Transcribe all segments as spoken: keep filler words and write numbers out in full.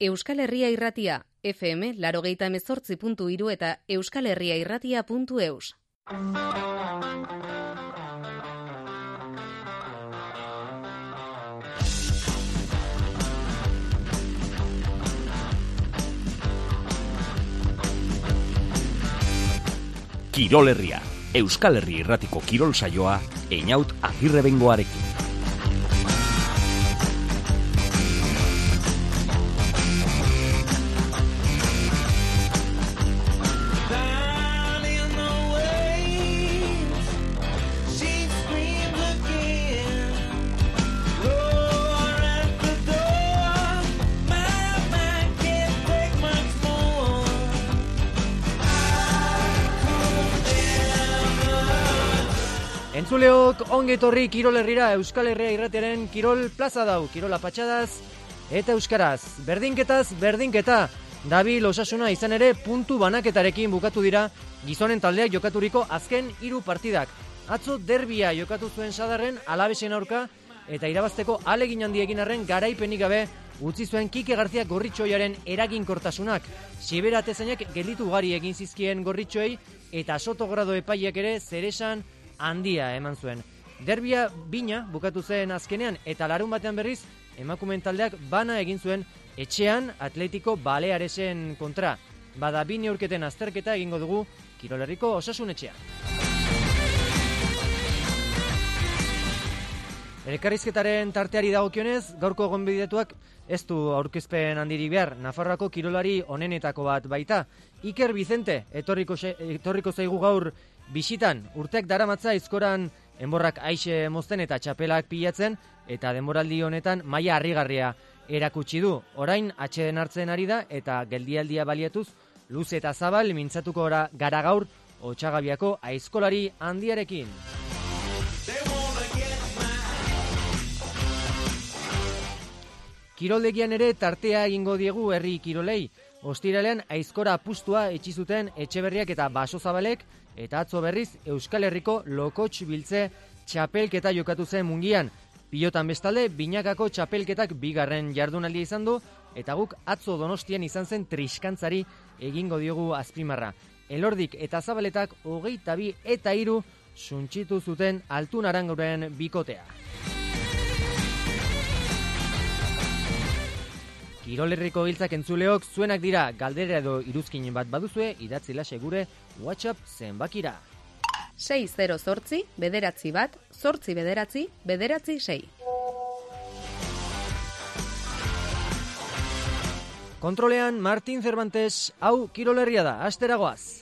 Euskal Herria Irratia, F M laurogeita hemezortzi puntu hiru eta euskalherriairratia puntu eus. Kirol Herria, Euskal Herri Irratiko kirol saioa, Einaut Agirrebengoarekin. Entzuleok ongi etorri Kirol Herrira, Euskal Herria Irratiaren Kirol Plaza dau, Kirola patxadaz eta euskaraz. Berdinketaz, berdinketa, dabil Osasuna izan ere puntu banaketarekin bukatu dira gizonen taldeak jokaturiko azken hiru partidak. Atzo derbia jokatu zuen Sadarren Alabesen aurka eta irabazteko ahalegin handiekin arren garaipenik gabe utzi zuen Kike García Gorritxoiaren eraginkortasunak. Sibera atezainak gelditu ugari egin zizkien Gorritxoei eta Sotogrado epaiak ere zeresan handia eman zuen. Derbia bina bukatu zen azkenean eta larun batean berriz emakumeen taldeak bana egin zuen etxean Atletico Balearesen kontra. Bada bi neurketen azterketa egingo dugu Kirol Herriko Osasun etxean. Elkarrizketaren tarteari dagokionez, gaurko gonbidatuak ez du aurkezpen handirik behar. Nafarroako kirolari onenetako bat baita. Iker Vicente etorriko, etorriko zaigu gaur bisitan. Urteak daramatza aizkoran enborrak aixe mozten eta txapelak pilatzen eta denboraldi honetan maila harrigarria erakutsi du. Orain atxeden hartzen ari da eta geldialdia baliatuz luze eta zabal mintzatuko gara gaur Otsagabiako aizkolari handiarekin. Kiroldegian ere tartea egingo diegu herri kirolei. Ostiralean aizkora apustua etxi zuten Etxeberriak eta Basozabalek eta atzo berriz Euskal Herriko Lokotx Biltze txapelketa jokatu zen Mungian. Pilotan bestalde, binakako txapelketak bigarren jardunaldia izan du eta guk atzo Donostian izan zen triskantzari egingo diogu azpimarra. Elordik eta Zabaletak hogeita bi eta hiru suntxitu zuten Altun Aranguren bikotea. Kirol Herriko giltzak entzuleok zuenak dira, galdera edo iruzkin bat baduzue, idatzi lase gure WhatsApp zenbakira. sei zero zortzi, bederatzi bat, zortzi bederatzi, bederatzi sei. Kontrolean Martin Cervantes, hau Kirol Herria da, asteragoaz.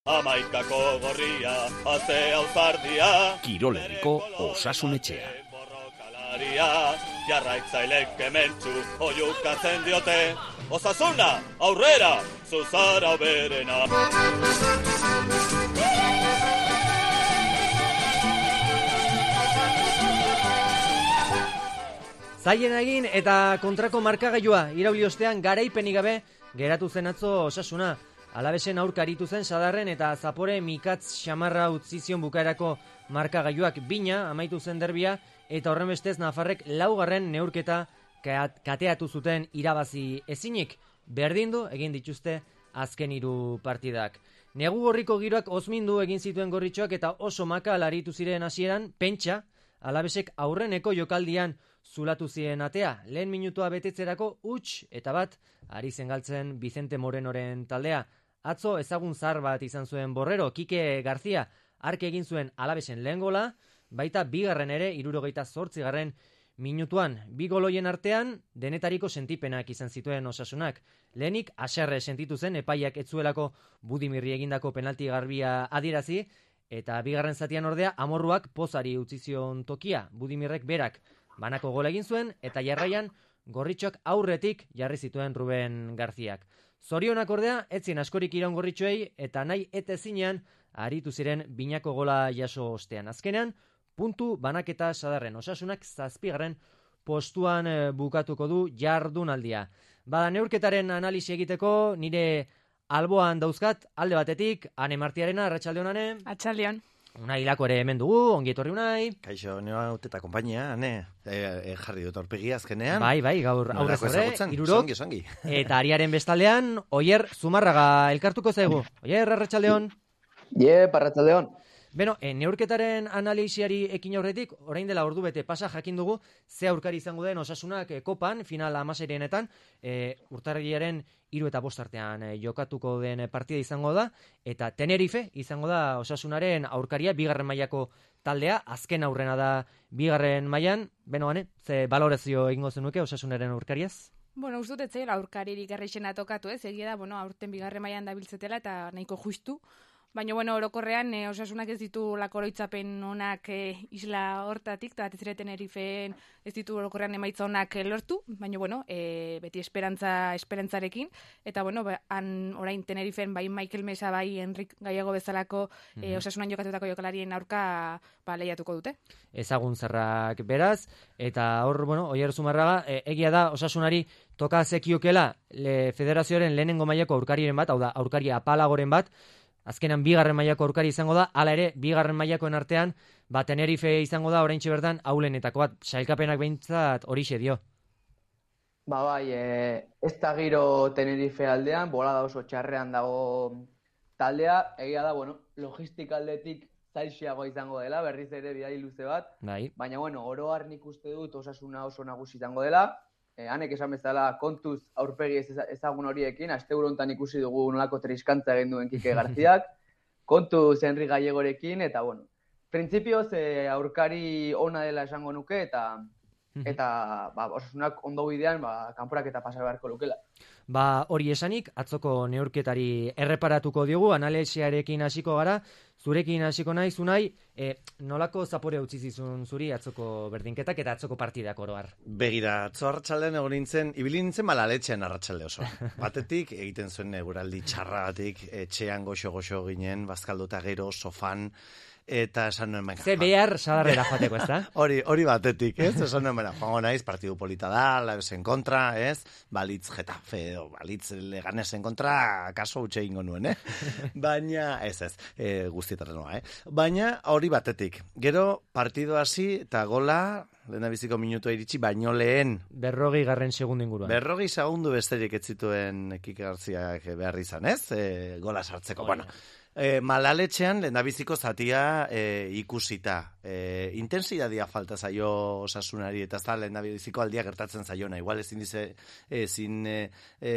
Amaikako gorria, aze auzardia, Kirol Herriko Osasun etxea. Jarraitzailek kementzu oiukatzen diote, Osasuna, aurrera, zuzara berena. Zaien egin eta kontrako markagailua irauli ostean garaipenik gabe geratu zen atzo Osasuna. Alabesen aurka aritu zen Sadarren eta Zapore Mikatz xamarra utzi zion bukaerako markagailuak. Bina amaitu zen derbia eta horren bestez Nafarrek laugarren neurketa kateatu zuten irabazi ezinik. Berdindu egin dituzte azken hiru partidak. Negu gorriko giroak ozmindu egin zituen Gorritxoak eta oso makal aritu ziren hasieran, pentsa Alabesek aurreneko jokaldian zulatu ziren atea. Lehen minutua betetzerako huts eta bat ari zen galtzen Vicente Morenoren taldea. Atzo ezagun zar bat izan zuen Borrero, Kike García ark egin zuen Alabesen lehen gola, baita bigarren ere hirurogeita zortzigarren minutuan. Bi goloien artean denetariko sentipenak izan zituen Osasunak. Lehenik haserre sentitu zen epaiak etzuelako Budimirri egindako penalti garbia adierazi, eta bigarren zatian ordea amorruak pozari utzi zion tokia. Budimirrek berak banako gola egin zuen eta jarraian Gorritxoak aurretik jarri zituen Ruben Garziak. Zorionak ordea etzien askorik iraun Gorritxoei eta nahi eta ezinean aritu ziren binako gola jaso ostean. Azkenean puntu banaketa Sadarren. Osasunak zazpigarren postuan bukatuko du jardunaldia. Bada neurketaren analisi egiteko nire alboan dauzkat alde batetik Ane Martiarena, arratsaldeon Ane. Atxaldeon. Unai Hilako ere hemen dugu, ongi etorri Unai. Kaixo, nioa haute eta kompainia, ne, e, e, jarri dut aurpegi azkenean. Bai, bai, gaur aurrez aurre, irurok. Zongi, zongi. Eta ariaren bestaldean, Oier Zumarraga elkartuko zaigu. Oier, arratsaldeon. Ie, arratsaldeon. Beno, e, neurketaren analisiari ekin aurretik, orain dela ordu bete pasa jakin dugu, ze aurkari izango den Osasunak e, kopan, final hamaseirenetan, e, urtarrilaren hiru eta bost artean e, jokatuko den partida izango da, eta Tenerife izango da Osasunaren aurkaria, bigarren mailako taldea, azken aurrena da bigarren mailan. Beno, ane, ze balorazio egingo zenuke Osasunaren aurkariaz? Bueno, uste dut etzaila aurkaririk errexena tokatu, ez? Egia da, bueno, aurten bigarren mailan dabiltzetela eta nahiko justu. Baina, bueno, orokorrean, e, Osasunak ez ditu lakoroitzapen onak e, isla hortatik, eta batez ere Tenerifeen ez ditu orokorrean emaitza onak e, lortu, baina, bueno, e, beti esperantza esperantzarekin, eta, bueno, ba, han orain Tenerifeen bai Michael Mesa, bai Enrik Gallego bezalako e, Osasunan jokatutako jokalarien aurka ba, lehiatuko dute. Ezagun zerrak beraz, eta hor, bueno, Oier Zumarraga, e, egia da Osasunari toka zekiokela le federazioaren lehenengo mailako aurkariren bat, hau da, aurkari apalagoren bat, azkenan bigarren mailako aurkari izango da, hala ere, bigarren mailakoen artean, ba, Tenerife izango da, oraintxe bertan, aulenetako bat, sailkapenak behintzat horixe dio. Ba, bai, e, ez da giro Tenerife aldean, bola da oso txarrean dago taldea, egia da, bueno, logistik aldetik zailxiago izango dela, berriz ere bidai luze bat, bai. Baina, bueno, oro har nik uste dut Osasuna oso nagusi izango dela, e, hanek esan bezala kontuz aurpegi ez ezagun horiekin, asteburu hontan ikusi dugu nolako triskantza egin duen Kike Garziak, kontuz Enrik Gallegorekin, eta, bueno, printzipioz e, aurkari ona dela esango nuke, eta eta ba, Osasunak ondo bidean ba, kanporak eta pasa beharko lukela. Ba, hori esanik, atzoko neurketari erreparatuko diogu, analesiarekin hasiko gara, zurekin hasiko nahi, Unai, e, nolako zapore utzi zizun zuri atzoko berdinketak eta atzoko partidak oro har? Begira, atzo arratsaldean egon nintzen, ibili nintzen malaletxean arratsalde oso. Batetik, egiten zuen eguraldi txarragatik, etxean goxo-goxo ginen, bazkalduta gero, sofan, eta esan nuen baina. Ze behar sadarrera joateko, ez da? Hori, hori batetik, ez? Esan nuen baina, joango naiz, partidu polita da, labesen kontra, ez? Balitz Getafe, o balitz Leganesen kontra, kaso utxe ingo nuen, eh? Baina, ez ez, e, guztietaren noa, eh? Baina, hori batetik. Gero, partidu hasi eta gola, lehendabiziko minutua iritsi, baino lehen. Berrogei garren segundu inguruan. Berrogei segundu besterik ez zituen Kike Garziak behar izan, ez? E, gola sartzeko, oh, bueno. E, malaletxean lehendabiziko zatia e, ikusita. E, intensidadia falta zaio Osasunari, eta ez da lehendabiziko aldia gertatzen zaiona. Igual ezin dize, ezin e, e,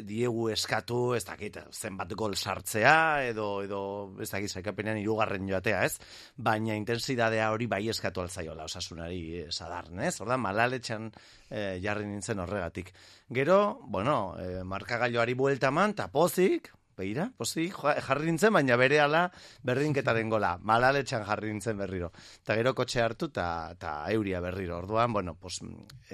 diegu eskatu, ez dakit, zenbat gol sartzea, edo, edo ez dakit, zaikapenean hirugarren joatea, ez? Baina intensidadea hori bai eskatu alzaiola Osasunari e, sadarn, ez? Orda, malaletxean e, jarri nintzen horregatik. Gero, bueno, e, markagailoari buelta eman, eta pozik, beira, posi, jarri nintzen, baina bere ala berdinketaren gola. Malaletxan jarri nintzen berriro. Eta gero kotxe hartu eta euria berriro. Orduan, bueno, pues,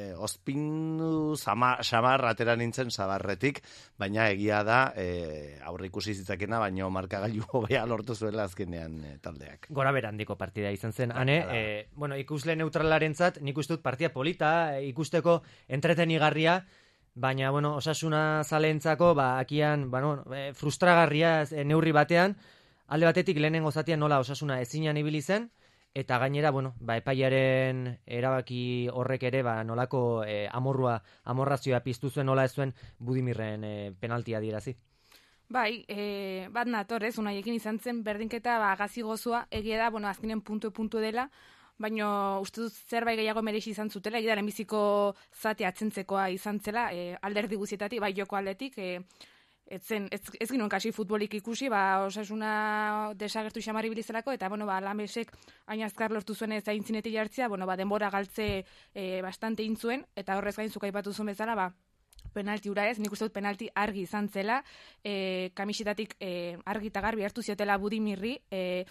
eh, ospinu samar atera nintzen zabarretik, baina egia da eh, aurre ikusi zitzakena, baina markagailu hobea lortu zuela azkenean eh, taldeak. Gora berandiko partida izan zen, ane, eh, bueno, ikusle neutralarentzat, nik uste dut partida polita, ikusteko entretenigarria, baina, bueno, Osasuna zalentzako, ba, akian, bueno, e, frustragarria e, neurri batean, alde batetik lehenengo zatian nola Osasuna ezinan ibili zen, eta gainera, bueno, ba, epaiaren erabaki horrek ere, ba, nolako e, amorrua, amorrazioa piztu zuen, nola ez zuen Budimirren e, penaltia dirazi. Bai, e, bat nator, ez, Unaiekin izan zen berdinketa, ba, gazi gozua, egia da, bueno, azkenen puntu-puntu dela, baina uste dut zerbait gehiago merezi izan zutela, egia da, lehenbiziko zati atzentzekoa izan zela, e, alderdi guzietatik, bai joko aldetik, e, ez, zen, ez, ez ginoen kasi futbolik ikusi, ba, Osasuna desagertu xamarri bilizelako, eta, bueno, ba, Lamesek hain azkar lortu zuen ez aintzinetik jartzea, bueno, ba, denbora galtze e, bastante intzuen, eta horrez gain zuk aipatu zuen bezala, ba, penalti ura ez, nik uste dut penalti argi izan zela, e, kamisetatik e, argi eta garbi hartu ziotela Budimirri, e,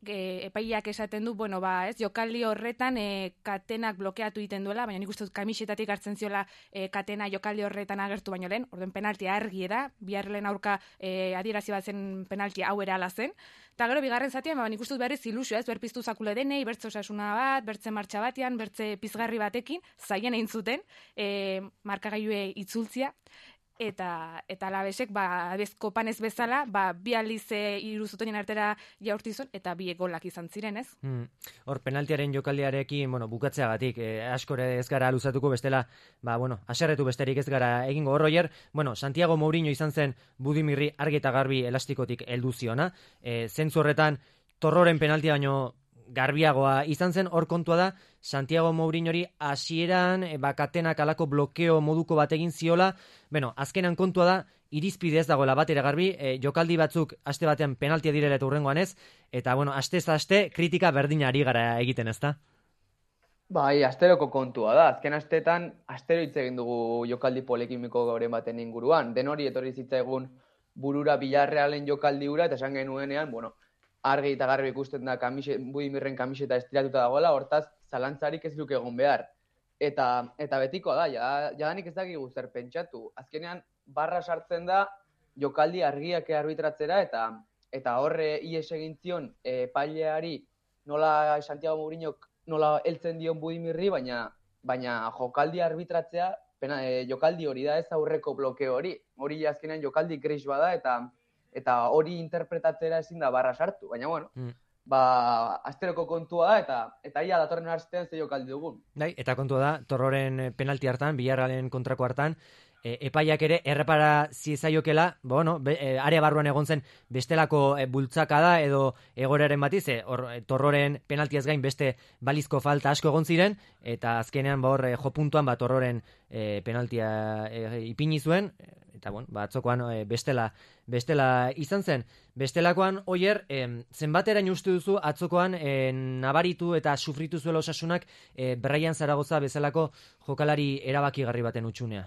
e, epaileak esaten du, bueno, ba, ez, jokaldi horretan e, katenak blokeatu egiten duela, baina nik uste dut kamisetatik hartzen ziola e, katena jokaldi horretan agertu baino lehen, orden penalti argi da, biharren aurka e, adierazi bat zen penalti hau ere ala zen, eta gero bigarren zatian, ba, nik uste dut berriz ilusio, ez, berpiztu zakule denei, bertze Osasuna bat, bertze martxa batean, bertze pizgarri batekin, zaien egin zuten, e, markagailue itzultzia, eta eta Alavesek ba bezko panez bezala ba bi aldiz hiru zutoinen artera jaurtizun eta bi golak izan ziren, ez? Hmm. Hor penaltiaren jokaldiarekin, bueno, bukatzeagatik eh, askore ez gara luzatuko bestela, ba bueno, haserretu besterik ez gara egingo hor Roger. Bueno, Santiago Mourinho izan zen Budimirri argi eta garbi elastikotik heldu ziona. Eh, zentzu horretan Torroren penaltia baino garbiagoa izan zen, hor kontua da Santiago Mourinhori hasieran e, bakatenak alako blokeo moduko bat egin ziola, bueno, azkenan kontua da irizpide ez dagoela batera garbi, e, jokaldi batzuk aste batean penaltia direla eta hurrengoan ez, eta bueno, aste ez aste kritika berdina ari gara egiten, ezta? Bai, asteroko kontua da. Azken asteetan astero hitz egin dugu jokaldi polekimiko goren baten inguruan. Den hori etorri zitzaigun burura Villarrealen jokaldi hura, eta esan genuenean, bueno, argi eta garbi ikusten da kamise, Budimirren kamiseta estiratuta dagoela, hortaz zalantzarik ez luke egon behar. Eta, eta betikoa da, ja, jadanik ez dakigu zer pentsatu. Azkenean, barra sartzen da jokaldi argiak arbitratzera, eta eta horre ies egin zion epaileari nola Santiago Mourinhok nola heltzen dion Budimirri, baina, baina jokaldi arbitratzea, pena, e, jokaldi hori da ez aurreko blokeo hori. Hori azkenean jokaldi gris bada, eta eta hori interpretatzera ezin da barra sartu, baina bueno, mm. ba, asteroko kontua da, eta eta ia datorren astean ze jokaldi dugun. Dai, eta kontua da, Torroren penalti hartan, Villarrealen kontrako hartan, e, epaiak ere errepara ziezaiokela, bueno, be, e, area barruan egon zen bestelako e, bultzaka da, edo egoraren batiz, e, or, e, Torroren penaltiaz gain beste balizko falta asko egon ziren, eta azkenean ba hor e, jo puntuan ba Torroren e, penaltia e, ipini zuen, eta bueno, ba atzokoan e, bestela bestela izan zen. Bestelakoan Oier, e, zenbateraino uste duzu atzokoan e, nabaritu eta sufritu zuela Osasunak e, Brian Zaragoza bezalako jokalari erabakigarri baten utxunea?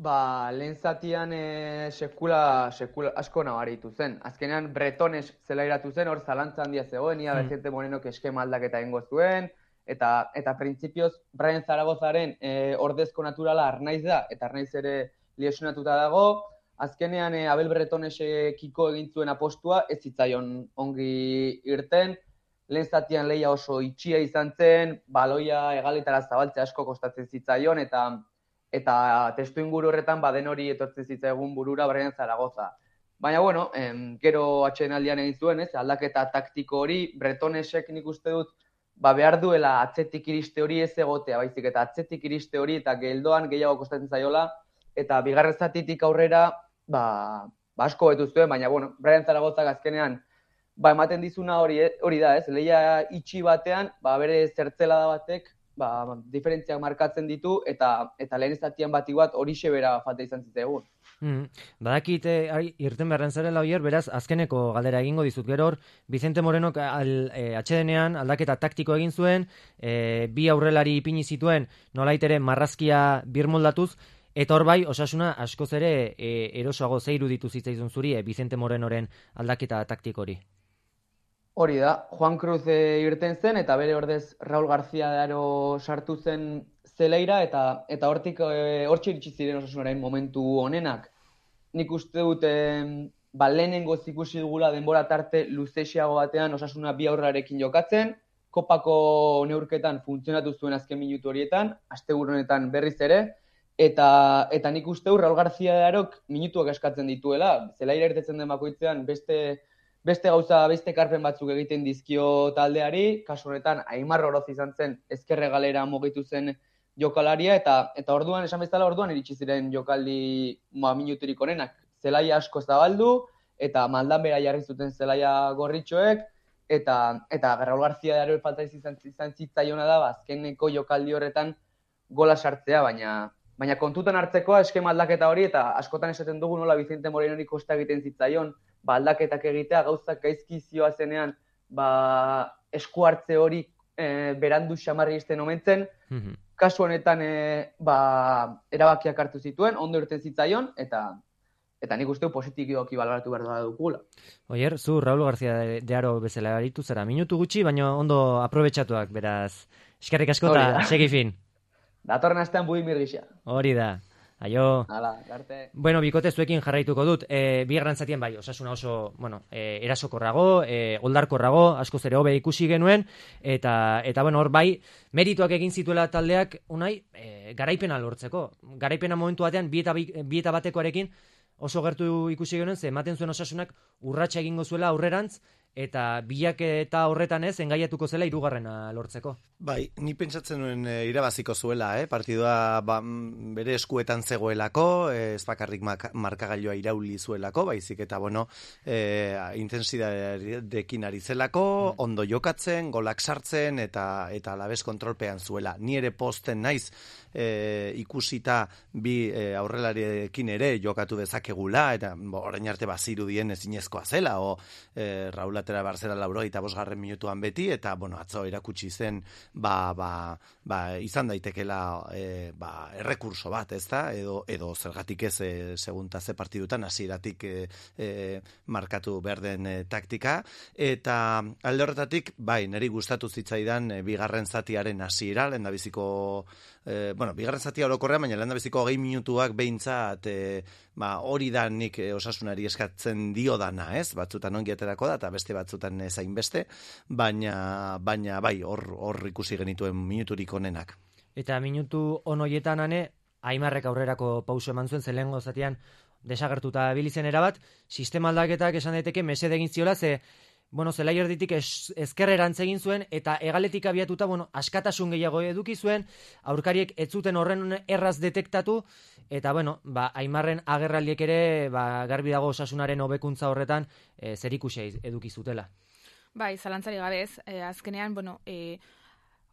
Ba, lehen zatian e, sekula, sekula asko nabaritu zen. Azkenean Bretones zelairatu zen, hor zalantza handia zegoen, ia hmm. Vicente Morenok eskema aldaketa egingo zuen, eta eta printzipioz Brian Zaragozaren e, ordezko naturala Arnaiz da, eta Arnaiz ere lesionatuta dago. Azkenean e, Abel Bretonesekiko egin zuen apostua, ez zitzaion ongi irten. Lehen zatian lehia oso itxia izan zen, baloia egaletara zabaltzea asko kostatzen zitzaion, eta eta testu inguru horretan baden hori etortzen zitzaigun burura Brian Zaragoza. Baina, bueno, em, gero atsedenaldian egin zuen, ez, aldaketa taktiko hori, Bretonesek nik uste dut, ba behar duela atzetik iriste hori ez egotea, baizik eta atzetik iriste hori eta geldoan gehiago kostatzen zaiola, eta bigarren zatitik aurrera, ba, ba asko betu zuen, baina, bueno, Brian Zaragozak azkenean, ba ematen dizuna hori, hori da, ez, lehia itxi batean, ba bere zertzelada batek, ba, diferentziak markatzen ditu, eta eta lehen zatian bati bat horixe bera falta izan zitzaigun. Mm. Badakit eh, irten beharren zarela Oier, beraz, azkeneko galdera egingo dizut gero hor, Vicente Morenok al, e, atxedenean aldaketa taktiko egin zuen, e, bi aurrelari ipini zituen, nolait ere marrazkia birmoldatuz, eta hor bai, Osasuna askoz ere e, erosoago zeiru ditu zitzaizun zuri, e, Vicente Morenoren aldaketa taktiko hori. Hori da, Juan Cruz e, irten zen, eta bere ordez Raul García de Aro sartu zen zeleira, eta eta hortik e, hortxe iritsi ziren Osasunaren momentu honenak. Nik uste dut, e, ba, lehenengo ikusi dugula denbora tarte luzesiago batean Osasuna bi aurrarekin jokatzen, kopako neurketan funtzionatu zuen azken minutu horietan, asteburu honetan berriz ere, eta eta nik uste dut Raul García de Arok minutuak eskatzen dituela, zelaira irtetzen den bakoitzean beste Beste gauza, beste karpen batzuk egiten dizkio taldeari, kasu honetan Aimar Oroz izan zen ezkerre galera mugitu zen jokalaria, eta eta orduan, esan bezala orduan iritsi ziren jokaldi ma, minuturik onenak. Zelaia asko zabaldu, eta maldan bera jarri zuten zelaia gorritxoek, eta eta Raul García de Aro falta izan, izan zitzaiona da, azkeneko jokaldi horretan gola sartzea, baina baina kontutan hartzekoa eskema aldaketa hori, eta askotan esaten dugu nola Vicente Morenori kosta egiten zitzaion, ba, aldaketak egitea, gauzak gaizki zioa zenean, ba, esku hartze hori e, berandu xamarri izten omentzen, mm-hmm. Kasu honetan e, ba, erabakiak hartu zituen, ondo irten zitzaion, eta eta nik uste positiboki baloratu behar da dukula. Oier, zu Raul García de Aro bezala aritu zara, minutu gutxi, baina ondo aprobetxatuak, beraz, eskerrik asko eta segi fin. Datorren astean Budimir gisa. Hori da. Aio. Hala, arte. Bueno, bikote zuekin jarraituko dut. E, bigarren zatien bai, Osasuna oso, bueno, e, erasokorrago, e, oldarkorrago, askoz ere hobe ikusi genuen, eta, eta bueno, hor bai, merituak egin zituela taldeak, unai, e, garaipena lortzeko. Garaipena momentu batean, bi eta, bi eta batekoarekin, oso gertu ikusi genuen, ze ematen zuen Osasunak urratsa egingo zuela aurrerantz, eta bilaketa horretan ez, engaiatuko zela hirugarrena lortzeko. Bai, ni pentsatzen nuen e, irabaziko zuela, eh? Partidua ba, bere eskuetan zegoelako, e, ez bakarrik markagailua irauli zuelako, baizik eta, bueno, e, intensidadekin ari zelako, ondo jokatzen, golak sartzen, eta eta alabez kontrolpean zuela. Ni ere posten naiz, e, ikusita bi e, aurrelariekin ere jokatu dezakegula, eta bo, orain arte bazirudien ezinezkoa zela, o e, Raul atera barzera laurogeita bosgarren minutuan beti, eta, bueno, atzo erakutsi zen, ba, ba, ba izan daitekela e, ba, errekurso bat, ezta? Edo, edo zergatik ez e, segunta ze partidutan hasieratik e, e, markatu behar den e, taktika, eta alde horretatik, bai, niri gustatu zitzaidan e, bigarren zatiaren hasiera, lehendabiziko e, bueno, bigarren zatia orokorrean, baina lehendabiziko hogei minutuak behintzat e, ba, hori da nik e, Osasunari eskatzen dio dana, ez? Batzutan ongi aterako da, eta beste batzutan zain beste, baina, baina bai, hor, hor ikusi genituen minuturik onenak. Eta minutu on hoietan ane, Aimarrek aurrerako pauso eman zuen, zelengo zatean desagertuta bilizen erabat, sistema aldaketak esan daiteke mesede egin ziola, ze bueno, zelai erditik ez, ezkerrerantz egin zuen, eta hegaletik abiatuta, bueno, askatasun gehiago eduki zuen, aurkariek ez zuten horren erraz detektatu, eta, bueno, ba, Aimarren agerraldiek ere, ba, garbi dago Osasunaren hobekuntza horretan, e, zerikusia eduki zutela. Bai, zalantzari gabe ez, e, azkenean, bueno, e,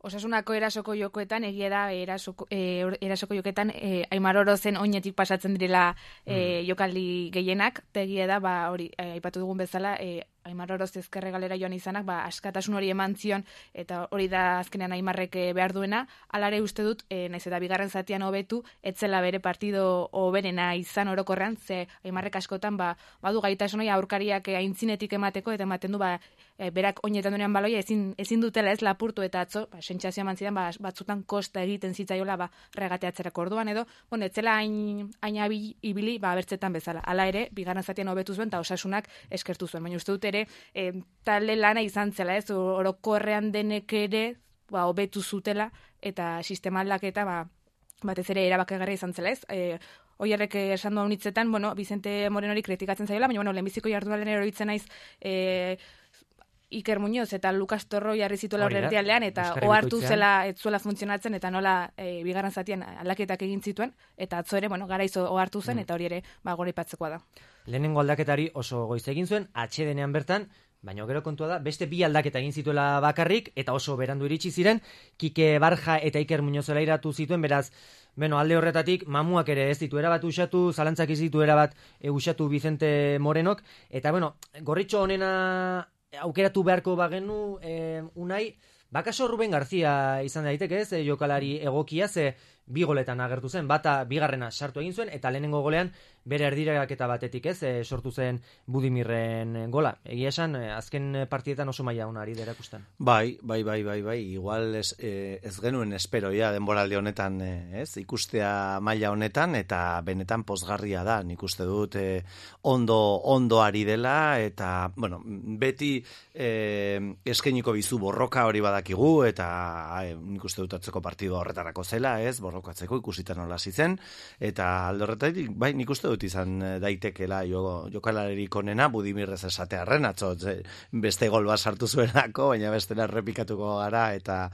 Osasunako erasoko jokoetan, egia da, erasoko, e, erasoko jokoetan, e, Aimar Orozen oinetik pasatzen direla e, jokaldi gehienak, eta egia da, ba, hori, e, aipatu dugun bezala, e, Aimar Oroz ezkerre galera joan izanak, ba, askatasun hori eman zion, eta hori da azkenean Aimarrek behar duena, alare uste dut, e, naiz eta bigarren zatian hobetu, etzela bere partido hoberena izan orokorrean, ze Aimarrek askotan, ba, badu gaitasunoi aurkariak aintzinetik emateko, eta ematen du, ba, e, berak oinetan duenean baloia, ezin, ezin dutela ez lapurtu, eta atzo, ba, sentsazioa eman zidan, ba, batzutan kosta egiten zitzaiola, ba, regateatzerako orduan, edo, bueno, etzela hain, hain ibili, ba, bertzetan bezala. Hala ere, bigarren zatian hobetu zuen, eta Osasunak eskertu zuen, baina uste dut ere, E, talde lana izan zela, ez, orokorrean denek ere, ba, hobetu zutela, eta sistema aldaketa, ba, batez ere erabakigarria izan zela, ez, e, Oierrek esan duan hitzetan, bueno, Vicente Morenori kritikatzen zaiola, baina, bueno, lehenbiziko jardunalen eroitzen naiz, e, Iker Muñoz eta Lukas Torro jarri zituela horretialdean, eta ohartu zela ez zuela funtzionatzen, eta nola e, bigarren zatian aldaketak egin zituen, eta atzo ere, bueno, garaizo ohartu zen, mm. eta hori ere, ba, goraipatzeko da. Lehenengo aldaketari oso goiz egin zuen, atsedenean bertan, baina gero kontua da, beste bi aldaketa egin zituela bakarrik, eta oso berandu iritsi ziren, Kike Barja eta Iker Muñoz erairatu zituen, beraz, bueno, alde horretatik, mamuak ere ez ditu erabat usatu, zalantzak ez ditu erabat e, usatu Vicente Morenok, eta, bueno, gorritxo honena aukeratu beharko bagenu, eh, unai, bakaso Ruben Garzia izan daiteke ez, eh, jokalari egokia, ze bi goletan agertu zen, bata bigarrena sartu egin zuen, eta lehenengo golean bere erdiraketa batetik ez, e, sortu zen Budimirren gola. Egia esan, azken partidetan oso maila ona ari da erakusten. Bai, bai, bai, bai, bai, igual ez, eh, ez genuen esperoia denboraldi honetan, eh, ez, ikustea maila honetan, eta benetan pozgarria da, nik uste dut eh, ondo, ondo ari dela, eta, bueno, beti eh, eskainiko bizu borroka hori badakigu, eta eh, nik uste dut atzeko partido horretarako zela, ez, borrokatzeko ikusitan nola zen, eta alde horretatik, bai, nik uste dut izan daitekela jo, jokalaririk onena, Budimirrez esatearren, atzo beste gol bat sartu zuenako, baina bestela errepikatuko gara, eta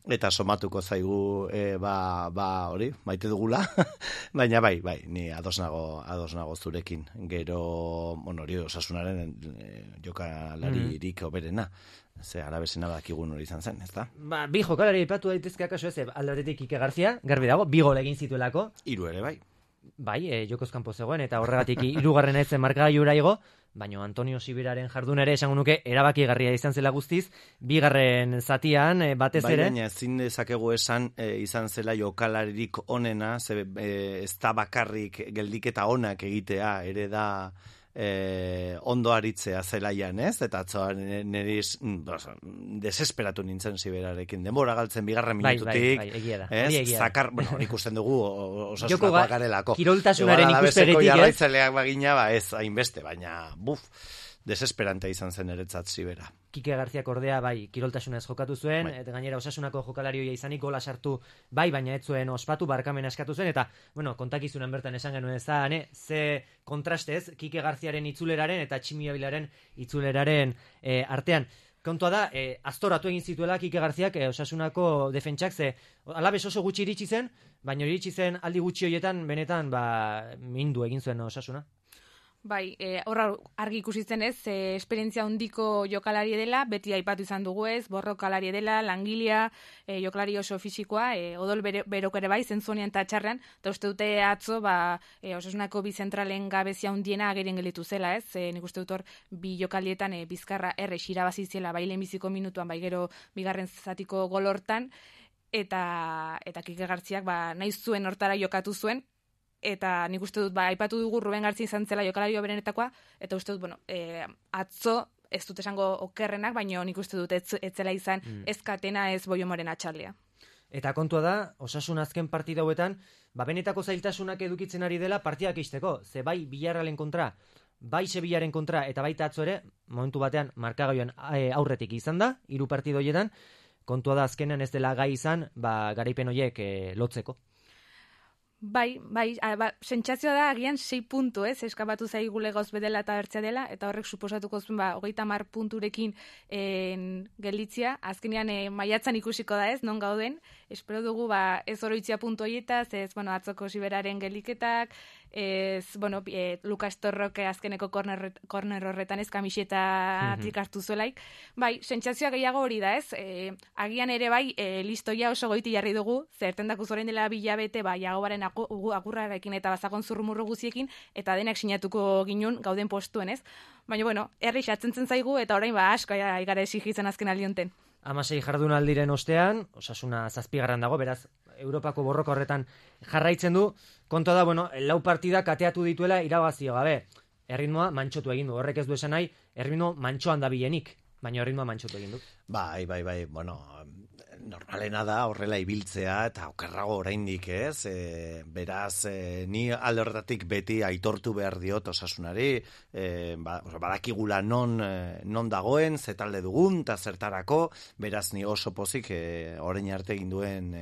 eta somatuko zaigu e, ba, ba hori, maite dugula, baina bai, bai, ni ados nago, ados nago zurekin, gero, bueno, hori Osasunaren e, jokalaririk mm. oberena, ze arabesena badakigun hori izan zen, ezta? Ba, bi jokalari aipatu daitezke akaso ez, aldatetik Ike Garzia, garbi dago, bi gol egin zituelako. Hiru ere, bai. Bai, e, jokoz kanpo zegoen, eta horregatik hirugarren ez markagailura igo, baina Antonio Sibiraren jardun ere esango nuke erabakigarria izan zela guztiz, bigarren zatian e, batez ere. Bai, baina ezin dezakegu esan e, izan zela jokalaririk onena, ze, e, ez da bakarrik geldiketa onak egitea, ere da e, ondo aritzea zelaian, ez? Eta atzoan niriz desesperatu nintzen Siberarekin. Denbora galtzen bigarren minututik. Bai, bai, egia da. Ez? Egia da. Zakar, bueno, ikusten dugu osasunakoa garelako. Kiroltasunaren ikuspegitik, ez? ez? Jarraitzaileak bagina, ba ez, hainbeste, baina, buf, desesperante izan zen eretzat Sibera. Kike Garziak ordea, bai, kiroltasunez jokatu zuen, bai. Eta gainera osasunako jokalarioia izanik gola sartu, bai, baina ez zuen ospatu, barkamena eskatu zuen, eta, bueno, kontakizunan bertan esan genuen ez da, ne, ze kontrastez, Kike Garziaren itzuleraren eta Tximi Abilaren itzuleraren e, artean. Kontua da, e, aztoratu egin zituela Kike Garziak e, osasunako defentsak, ze alabez oso gutxi iritsi zen, baina iritsi zen aldi gutxi horietan, benetan, ba, mindu egin zuen osasuna. Bai, e, horra argi ikusi zen ez, e, esperientzia handiko jokalari dela, beti aipatu izan dugu ez, borrokalari dela, langilea, e, jokalari oso fisikoa, e, odol bere, berok ere bai, zentzunean eta txarrean, eta uste dute atzo, ba, e, osasunako bi zentralen gabezia hundiena ageren gelitu zela ez, e, nik uste dut hor, bi jokalietan e, bizkarra erre irabazi zela, bai lehenbiziko minutuan, bai gero bigarren zatiko gol hortan, eta, eta Kike Garziak ba, nahi zuen hortara jokatu zuen, eta nik uste dut, ba, aipatu dugu Ruben Gartzia izan zela jokalario berenetakoa, eta uste dut, bueno, e, atzo, ez dut esango okerrenak, baina nik uste dut ez, ez zela izan mm. ez Katena, ez Boiomoren atxalea. Eta kontua da, osasun azken partida hauetan, ba, benetako zailtasunak edukitzen ari dela partidak izteko, ze bai Villarrealen kontra, bai Sevillaren kontra, eta baita atzo ere, momentu batean markagaioan aurretik izan da, hiru partido horietan, kontua da azkenean ez dela gai izan, ba, garaipen horiek e, lotzeko. Bai, bai, a, ba, sentsazioa da agian sei puntu, ez, eskapatu zaigule gauz bedela eta bertzea dela, eta horrek suposatuko zuen, ba, hogeita hamar punturekin en, gelditzia, azkenean e, maiatzan ikusiko da ez, non gauden, espero dugu, ba, ez oroitzia puntu horietaz, ez, bueno, atzoko Siberaren geliketak, ez, bueno, e, Lukas Torroke azkeneko korner, korner horretan ez kamisetatik mm-hmm. hartu zuelaik, bai, sentsazioa gehiago hori da, ez, e, agian ere bai, e, listoia oso goiti jarri dugu, zertendak uzoren dela bilabete, bai, Jagobaren agurrarekin eta bazakon zurrumurru guziekin, eta denak sinatuko ginun gauden postuen, ez? Baina, bueno, herri xatzen zaigu, eta orain ba asko igara exigitzen azken aldionten. Hamasei jardunaldiren ostean, osasuna zazpigarran dago, beraz, Europako borroka horretan jarraitzen du, kontua da, bueno, lau partida kateatu dituela irabazio gabe. Erritmoa mantxotu egin du, horrek ez du esan nahi, erritmo mantxoan da bilenik, baina erritmoa mantxotu egin du. Bai, bai, bai, bueno, normalena da horrela ibiltzea eta okerrago oraindik, ez? E, beraz, e, ni alde horretatik beti aitortu behar diot osasunari, e, ba, badakigula non, non dagoen, ze talde dugun, eta zertarako, beraz ni oso pozik e, orain arte egin duen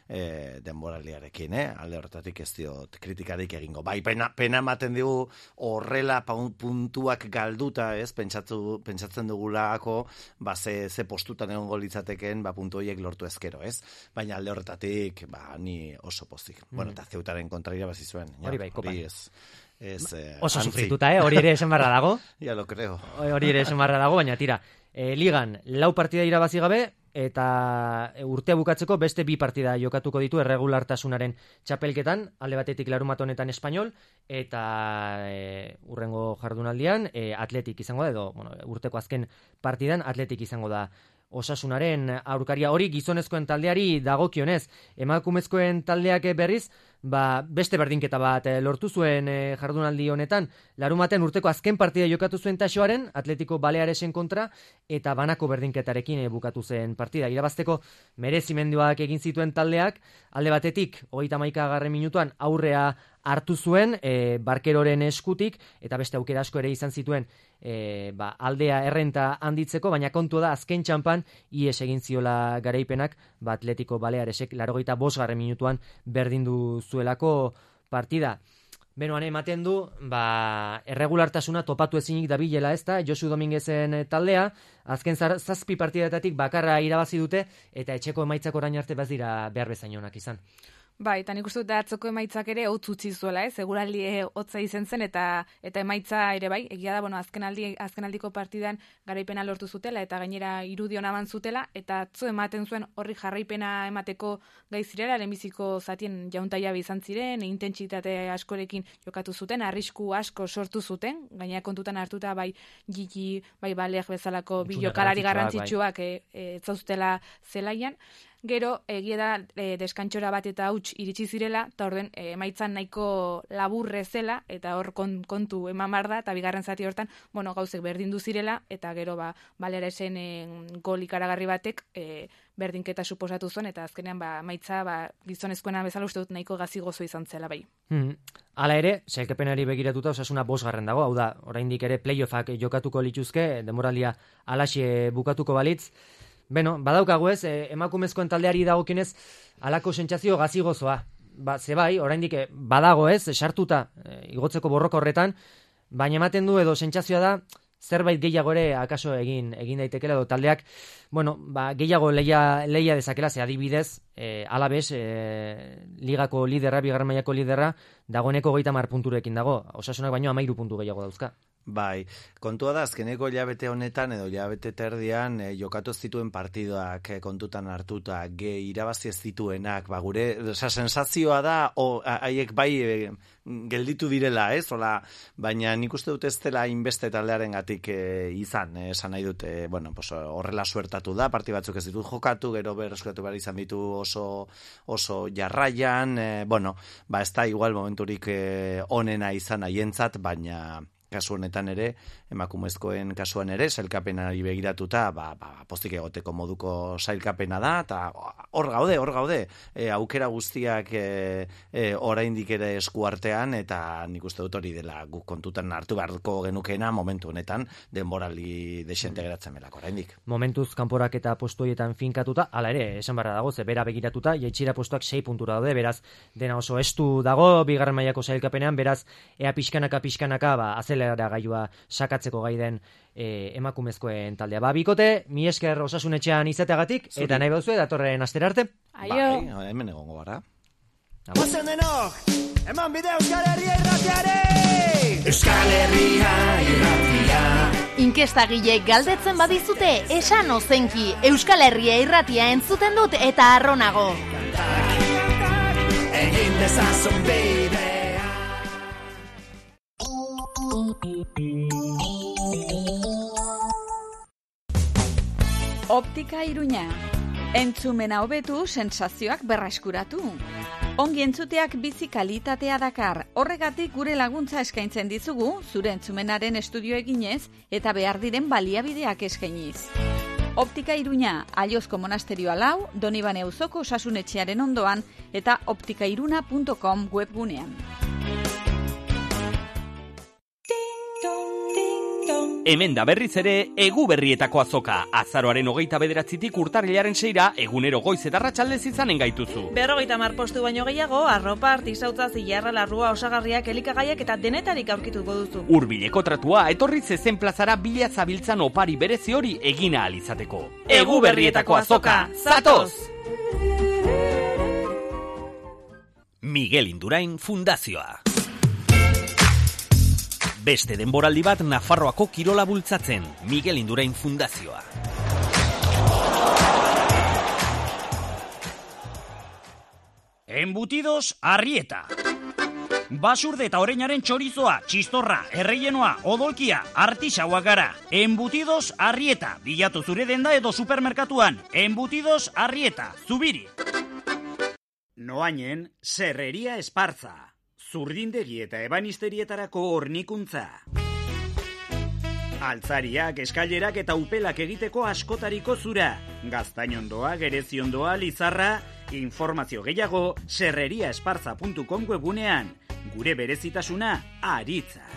e, denboraldiarekin, eh? Alde horretatik ez diot kritikarik egingo. Bai, pena, pena ematen digu horrela puntuak galduta, ez? Pentsatu, pentsatzen dugulako, ba, ze, ze postutan egongo litzateken, ba, puntu horiek lortu ezkero, ez? Baina alde horretatik, ba, ni oso pozik. Mm. Bueno, eta Zeutaren kontra irabazi zuen. Hori bai, kopan. Ez, ez, eh, oso antzi. sufrituta, eh? Hori ere esan barra dago. Ya lo creo. Hori ere esan barra dago, baina tira, e, ligan lau partida irabazi gabe, eta urtea bukatzeko beste bi partida jokatuko ditu erregulartasunaren txapelketan, alde batetik larumat honetan Espainol, eta e, urrengo jardunaldian e, Atletik izango da, edo bueno, urteko azken partidan Atletik izango da osasunaren aurkaria. Hori gizonezkoen taldeari dagokionez, emakumezkoen taldeak berriz, ba, beste berdinketa bat e, lortu zuen e, jardunaldi honetan, larumaten urteko azken partida jokatu zuen Taxoaren, Atletico Balearesen kontra, eta banako berdinketarekin e, bukatu zen partida. Irabazteko merezimenduak egin zituen taldeak, alde batetik, hogeita hamaika garren minutuan aurrea hartu zuen e, Barkeroren eskutik, eta beste aukera asko ere izan zituen e, ba, aldea errenta handitzeko, baina kontu da azken txampan ies egin ziola garaipenak, ba, Atletico Balearesek larogeita bost garren minutuan berdindu zuelako partida. Benoan ematen du, ba, erregulartasuna topatu ezinik dabilela, ezta, Josu Dominguezen taldea, azken zar, zazpi partidatatik bakarra irabazi dute, eta etxeko emaitzak orain arte bez dira behar bezain onak izan. Bai, eta nik uste dut atzoko emaitzak ere hotz utzi zuela, ez? Seguraldi hotza izen zen eta eta emaitza ere bai, egia da, bueno, azkenaldi azkenaldiko partidan garaipena lortu zutela eta gainera irudion aban zutela eta atzo ematen zuen horri jarraipena emateko gai zirela, lehenbiziko zatien jauntaia izan ziren, intentsitate askorekin jokatu zuten, arrisku asko sortu zuten, gainera kontutan hartuta bai Gigi, bai Balej bezalako bi jokalari garrantzitsuak ez zauztela zelaian. Gero, egia da, e, deskantxora bat eta huts iritsi zirela, eta orden, e, emaitzan nahiko laburre zela, eta hor kon, kontu eman behar da, eta bigarren zati hortan, bueno, gauzek berdindu zirela, eta gero, ba, Baleresen e, gol ikaragarri batek, e, berdinketa suposatu zuen, eta azkenean, ba, maitza, ba, gizonezkoena bezala uste dut nahiko gazi gozo izan zela bai. Hmm. Hala ere, sailkapenari begiratuta Osasuna bosgarren dago, hau da, oraindik ere playoffak jokatuko lituzke, demoralia alaxe bukatuko balitz. Beno, badaukagu ez, eh, emakumezkoen taldeari dagokionez halako sentsazio gazi gozoa. Ba, ze bai, oraindik badago ez, sartuta eh, igotzeko borroka horretan, baina ematen du edo sentsazioa da zerbait gehiago ere akaso egin egin daitekela edo taldeak, bueno, ba, gehiago leia, leia dezakela, ze adibidez, eh, Alabes, eh, ligako liderra, bigarren mailako liderra, dagoeneko hogeita hamar punturekin dago, Osasunak baino hamairu puntu gehiago dauzka. Bai, kontua da azkeneko hilabete honetan edo hilabete terdian e, jokatu zituen partidoak e, kontutan hartuta, ge irabazi ez zituenak, ba gure, oza, sensazioa da haiek bai e, gelditu direla, ez? Ola, baina nik uste dut ez dela inbeste taldearengatik e, izan, e, esan nahi dut, e, bueno, pues, horrela suertatu da, parti batzuk ez ditut jokatu, gero berreskatu behar izan ditu oso, oso jarraian, e, bueno, ba ez da igual momenturik e, onena izan haientzat, baina kasu honetan ere, emakumezkoen kasuan ere, sailkapenari begiratuta, ba, ba, postik egoteko moduko sailkapena da, eta hor gaude, hor gaude, e, aukera guztiak e, e, oraindik ere eskuartean, eta nik uste dut hori dela guk kontutan hartu beharko genukena momentu honetan, denborali desente geratzen belako oraindik. Momentuz kanporak eta postu horietan finkatuta, hala ere, esan barra dago, ze bera begiratuta, jaitsira postuak sei puntura daude, beraz, dena oso estu dago, bigarren mailako sailkapenean, beraz, ea pixkanaka, pixkanaka, ba, azelera gailua sakatzeko gai den e, emakumezkoen taldea. Ba, bikote, mi esker Osasunetxean izateagatik, Zuri. eta nahi bauzue, datorren astera arte. Aio! Bai, hemen egongo gara. Ozen denok, eman bide Euskal Herria irratiare! Euskal Herria irratia. Inkestagileek galdetzen badizute, esan ozenki, Euskal Herria irratia entzuten dut eta arronago. Egin dezazun bidea. Optika Iruña. Entzumena hobetu, sensazioak berreskuratu. Ongi entzuteak bizi kalitatea dakar. Horregatik gure laguntza eskaintzen dizugu, zure entzumenaren estudio eginez eta behar diren baliabideak eskainiz. Optika Iruña, Aiozko monasterioa lau, Donibane auzoko Osasunetxearen ondoan eta optikairuna puntu com webgunean. Hemen da berriz ere, egu berrietako azoka. Azaroaren hogeita bederatzitik urtarrilaren seira, egunero goiz eta arratsaldez izanen gaituzu. Berrogeita mar postu baino gehiago, arropa, artisautza, zilarra, larrua, osagariak, elikagaiak eta denetarik aurkituko duzu. Hurbileko tratua, etorri zezen plazara bila zabiltzan opari berezi hori egina alizateko. Egu berrietako azoka, zatoz! Miguel Indurain Fundazioa. Beste denboraldi bat Nafarroako kirola bultzatzen, Miguel Indurain Fundazioa. Embutidos Arrieta. Basurde eta oreinaren txorizoa, txistorra, erreienoa, odolkia, artisauak gara. Embutidos Arrieta. Bilatu zure denda edo supermerkatuan. Embutidos Arrieta. Zubiri. Noainen, Serreria Esparza. Zurdindegi eta ebanisterietarako hornikuntza. Altzariak, eskailerak eta upelak egiteko askotariko zura. Gaztainondoa, gereziondoa, lizarra, informazio gehiago serreriaesparza puntu com webunean. Gure berezitasuna, aritza.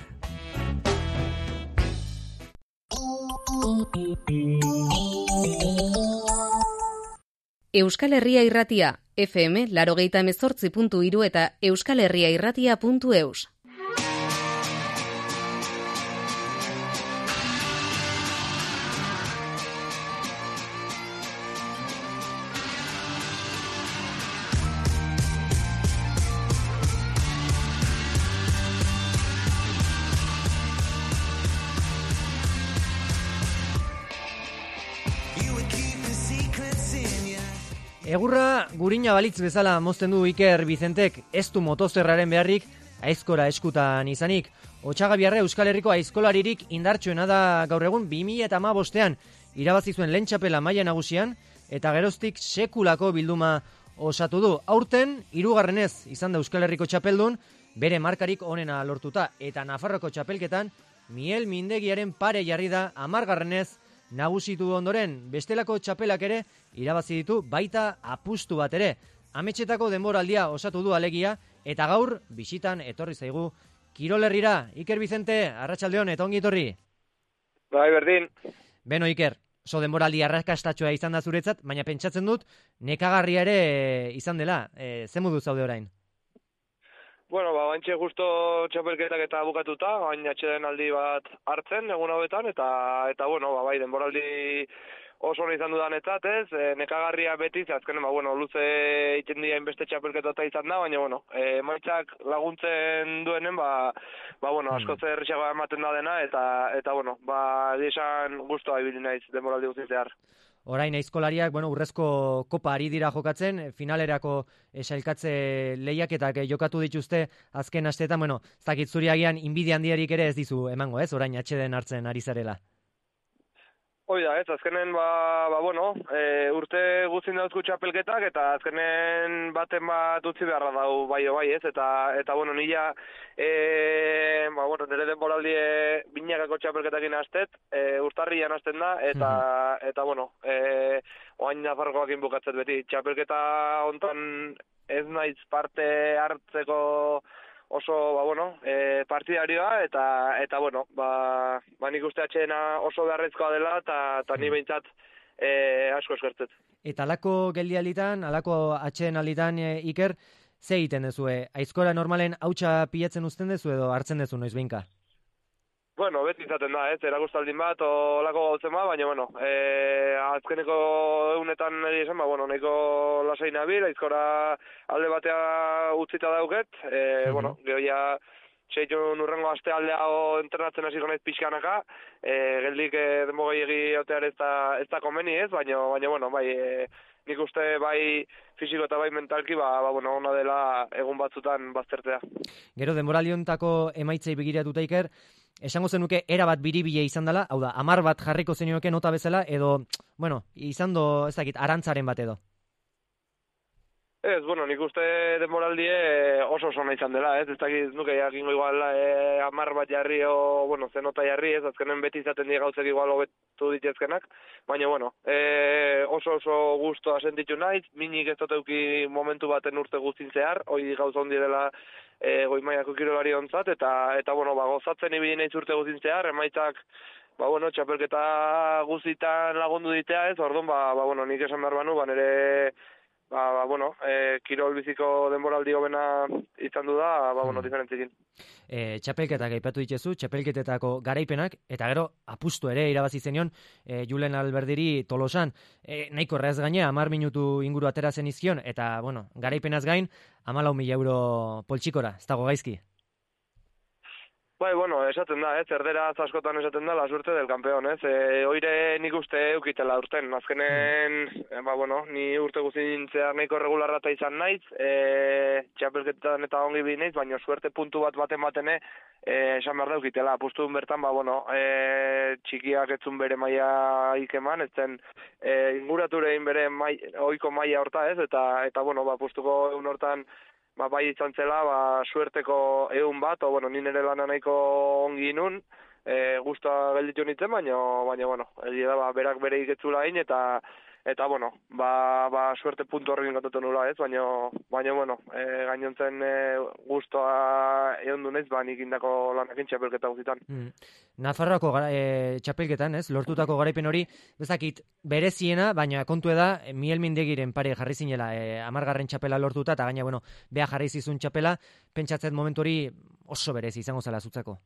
Euskal Herria Irratia, F M laurogeita hemezortzi puntu hiru eta euskal herria irratia puntu eus. Egurra gurina balitz bezala mozten du Iker Bizentek, ez du motozerraren beharrik aizkora eskutan izanik. Otxagabiarra Euskal Herriko aizkolaririk indartsuena da gaur egun bi mila hamabostean irabazi zuen lehen txapela maila nagusian eta geroztik sekulako bilduma osatu du. Aurten, hirugarrenez izan da Euskal Herriko txapeldun, bere markarik onena lortuta, eta Nafarroko txapelketan, Miel Mindegiaren pare jarri da hamargarrenez nagusitu ondoren, bestelako txapelak ere irabazi ditu baita apustu bat ere. Ametxetako denboraldia osatu du alegia, eta gaur bisitan etorri zaigu Kirol Herrira. Iker Vicente, arratsaldeon eta ongi etorri. Bai, berdin. Beno, Iker, oso denboraldi arrakastatxoa izan da zuretzat, baina pentsatzen dut nekagarria ere izan dela. E, ze modu zaude orain? Bueno, ba, bantxe justo txapelketak eta bukatuta, bain atxeden aldi bat hartzen, egun hauetan, eta, eta bueno, ba, bai, denboraldi oso hona izan dudanetzat, ez, e, nekagarria beti, azkenen, ba, bueno, luze iten dira inbeste txapelketota izan da, baina, bueno, e, maitzak laguntzen duenen, ba, ba bueno, asko zer xagoa ematen da dena, eta, eta bueno, ba, esan guztua ibili naiz denboraldi guztitzear. Orain aizkolariak, bueno, urrezko kopa ari dira jokatzen, finalerako sailkatze lehiaketak jokatu dituzte azken asteetan, bueno, ez dakit zuri agian inbidia handiarik ere ez dizu emango, ez, orain atxeden hartzen ari zarela. Hoi da, ez, azkenen, ba, ba bueno, e, urte guztin dauzku txapelketak, eta azkenen baten bat utzi beharra dau bai o bai, ez, eta, eta bueno, nila, e, ba, bueno, nire denboraldie binakako txapelketakin hastet, e, urtarrian hasten da, eta, mm-hmm. eta bueno, e, oain Nafarrokoakin bukatzet beti, txapelketa hontan ez naiz parte hartzeko oso, ba, bueno, e, partidarioa, eta, eta bueno, ba, ba nik uste atxeena oso beharrezkoa dela, eta, eta ni behintzat e, asko eskertzet. Eta alako geldialitan, alako atxeen alitan, e, Iker, ze egiten dezue? Aizkora normalen hautsa pilatzen uzten dezu edo hartzen dezu noiz behinka? Bueno, beti izaten da, ez, eragustaldin bat, olako gautzen ba, baina, bueno, e, azkeneko egunetan nire esan, ba, bueno, nahiko lasai nabil, aizkora alde batea utzita dauket, e, mm-hmm. bueno, geho ja, seitun urrengo aste aldea entrenatzen hasiko naiz pixkanaka, e, geldik e, denbogei egi otear ez da, ez da komeni ez, baina, baina, bueno, bai, e, nik uste bai fisiko eta bai mentalki, ba, ba bueno, ona dela egun batzutan baztertzea. Gero, denboraliontako emaitzei begiratuta, Iker, esango zenuke era bat biribile izan dela, hau da, amar bat jarriko zenioke nota bezala, edo, bueno, izan do, ez dakit, arantzaren bat edo. Ez, bueno, nik uste denboraldie oso oso nahi izan dela, ez, ez dakit nuke jakingo igual e, amar bat jarri o, bueno, zenota jarri, ez, azkenen beti izaten dira gauzek igual hobetu ditezkenak, baina, bueno, e, oso oso gustoa sentitu naiz, minik ez duteuki momentu baten urte guztin zehar, hoi gauza hondi dela e, goi mailako kirolari ontzat, eta, eta, bueno, ba, gozatzen ibili naiz urte guztin zehar, emaitzak, ba, bueno, txapelketa guztitan lagundu ditea, ez, orduan, ba, ba, bueno, nik esan behar banu, ba, nire Ba, ba, bueno, e, kirol biziko denboraldi hobena izan du da, ba, bueno, diferentzikin. E, txapelketak aipatu ditzezu, txapelketetako garaipenak, eta gero apustu ere irabazi zenion e, Julen Alberdiri Tolosan. E, nahiko erraz gaine, hamar minutu inguru atera zen izkion, eta, bueno, garaipenaz gain, hamalau mila euro poltsikora, ez dago gaizki. Bai, bueno, esaten da, ez, erderaz askotan esaten da, la suerte del campeón, ez, e, oire nik uste eukitela urten, azkenen, e, ba, bueno, ni urte guztin zehar nahiko regularrata izan naiz, e, txapelketan eta ongi bi naiz, baina suerte puntu bat baten batene, e, esan behar da eukitela, apustu bertan, ba, bueno, e, txikiak etzun bere maia ikeman, ez zen, e, inguraturein bere mai, oiko maia horta, ez, eta, eta bueno, ba, apustuko egun hortan, ba, bai izan zela, ba, suerteko egun bat, o, bueno, nire lana nahiko ongi nun, e, guztua gelditu nintzen, baina, baina, bueno, egia da, ba, berak bere iketzula hain, eta, eta, bueno, ba, ba, suerte puntu horrekin gatotu nula, ez, baina, baina, bueno, e, gainontzen e, guztua egon dunez, ba, nik indako lanakin txapelketa guztitan. Mm. Nafarroako e, txapelketan, ez, lortutako garaipen hori, bezakit, bereziena, baina kontu da, Miel Mindegiren pare jarri zinela, e, amargarren txapela lortuta, eta gaina, bueno, beha jarri zizun txapela, pentsatzen momentu hori oso berezi izango zela zutzako.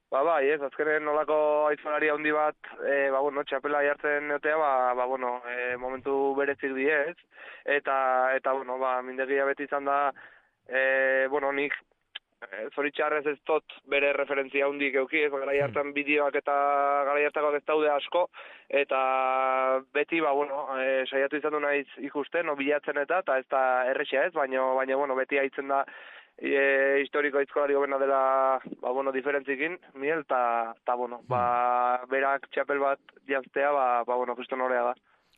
Ba, bai, ez, azkenen nolako aizolaria handi bat, e, ba, bueno, txapela jartzen neotea, ba, ba, bueno, e, momentu berezik die, ez, eta, eta, bueno, ba, Mindegia beti izan da, e, bueno, nik, e, zoritxarrez ez tot bere referentzia handik euki, ez, gara jartzen bideoak eta gara jartakoak ez daude asko, eta beti, ba, bueno, e, saiatu izan du naiz ikusten, no, bilatzen eta, eta ez da errexea ez, baina, baina, bueno, beti haitzen da, E, historiko aizkolari gobena dela, ba, bueno, diferentzikin, Miel, eta, ta, bueno, ba, berak txapel bat jaztea, ba, ba bueno, justo norea da.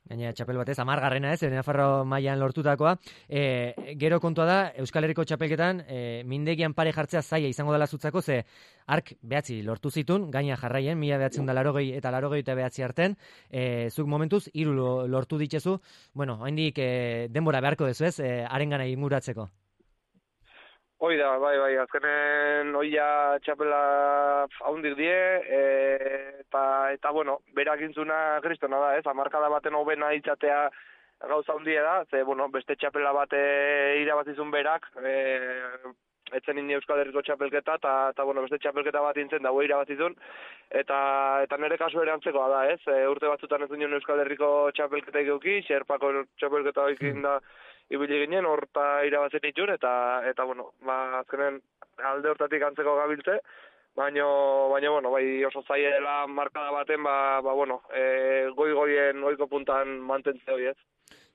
Gaina txapel batez, amargarrena ez, Nafarro mailan lortutakoa. E, gero kontua da, Euskal Herriko txapelketan, e, mindegian pare jartzea zaila izango dela zutzako, ze ark behatzi lortu zitun, gaina jarraien, mila behatzen da larogei eta larogei eta behatzi arten, e, zuk momentuz, hiru lortu ditzezu, bueno, haindik e, denbora beharko dezu ez, e, arengana inguratzeko. Hoi da, bai, bai, azkenen oia txapela haundik die, e, eta, eta, bueno, berak intzuna kristona da, ez, amarkada baten hobena itzatea gauza hundie da, ze, bueno, beste txapela bate irabazizun berak, e, etzen indi Euskal Herriko txapelketa, eta, eta, bueno, beste txapelketa bat intzen dago irabazizun, eta, eta nire kasu ere antzekoa da, ez, e, urte batzutan ez duen Euskal Herriko txapelketa eguki, Xerpako txapelketa ekin da, ibili ginen, horta irabazen itxun, eta, eta bueno, ba, azkenen alde hortatik antzeko gabiltze, baina, baina, bueno, bai oso zaila dela markada baten, ba, ba bueno, e, goi-goien goiko puntan mantentze hori ez.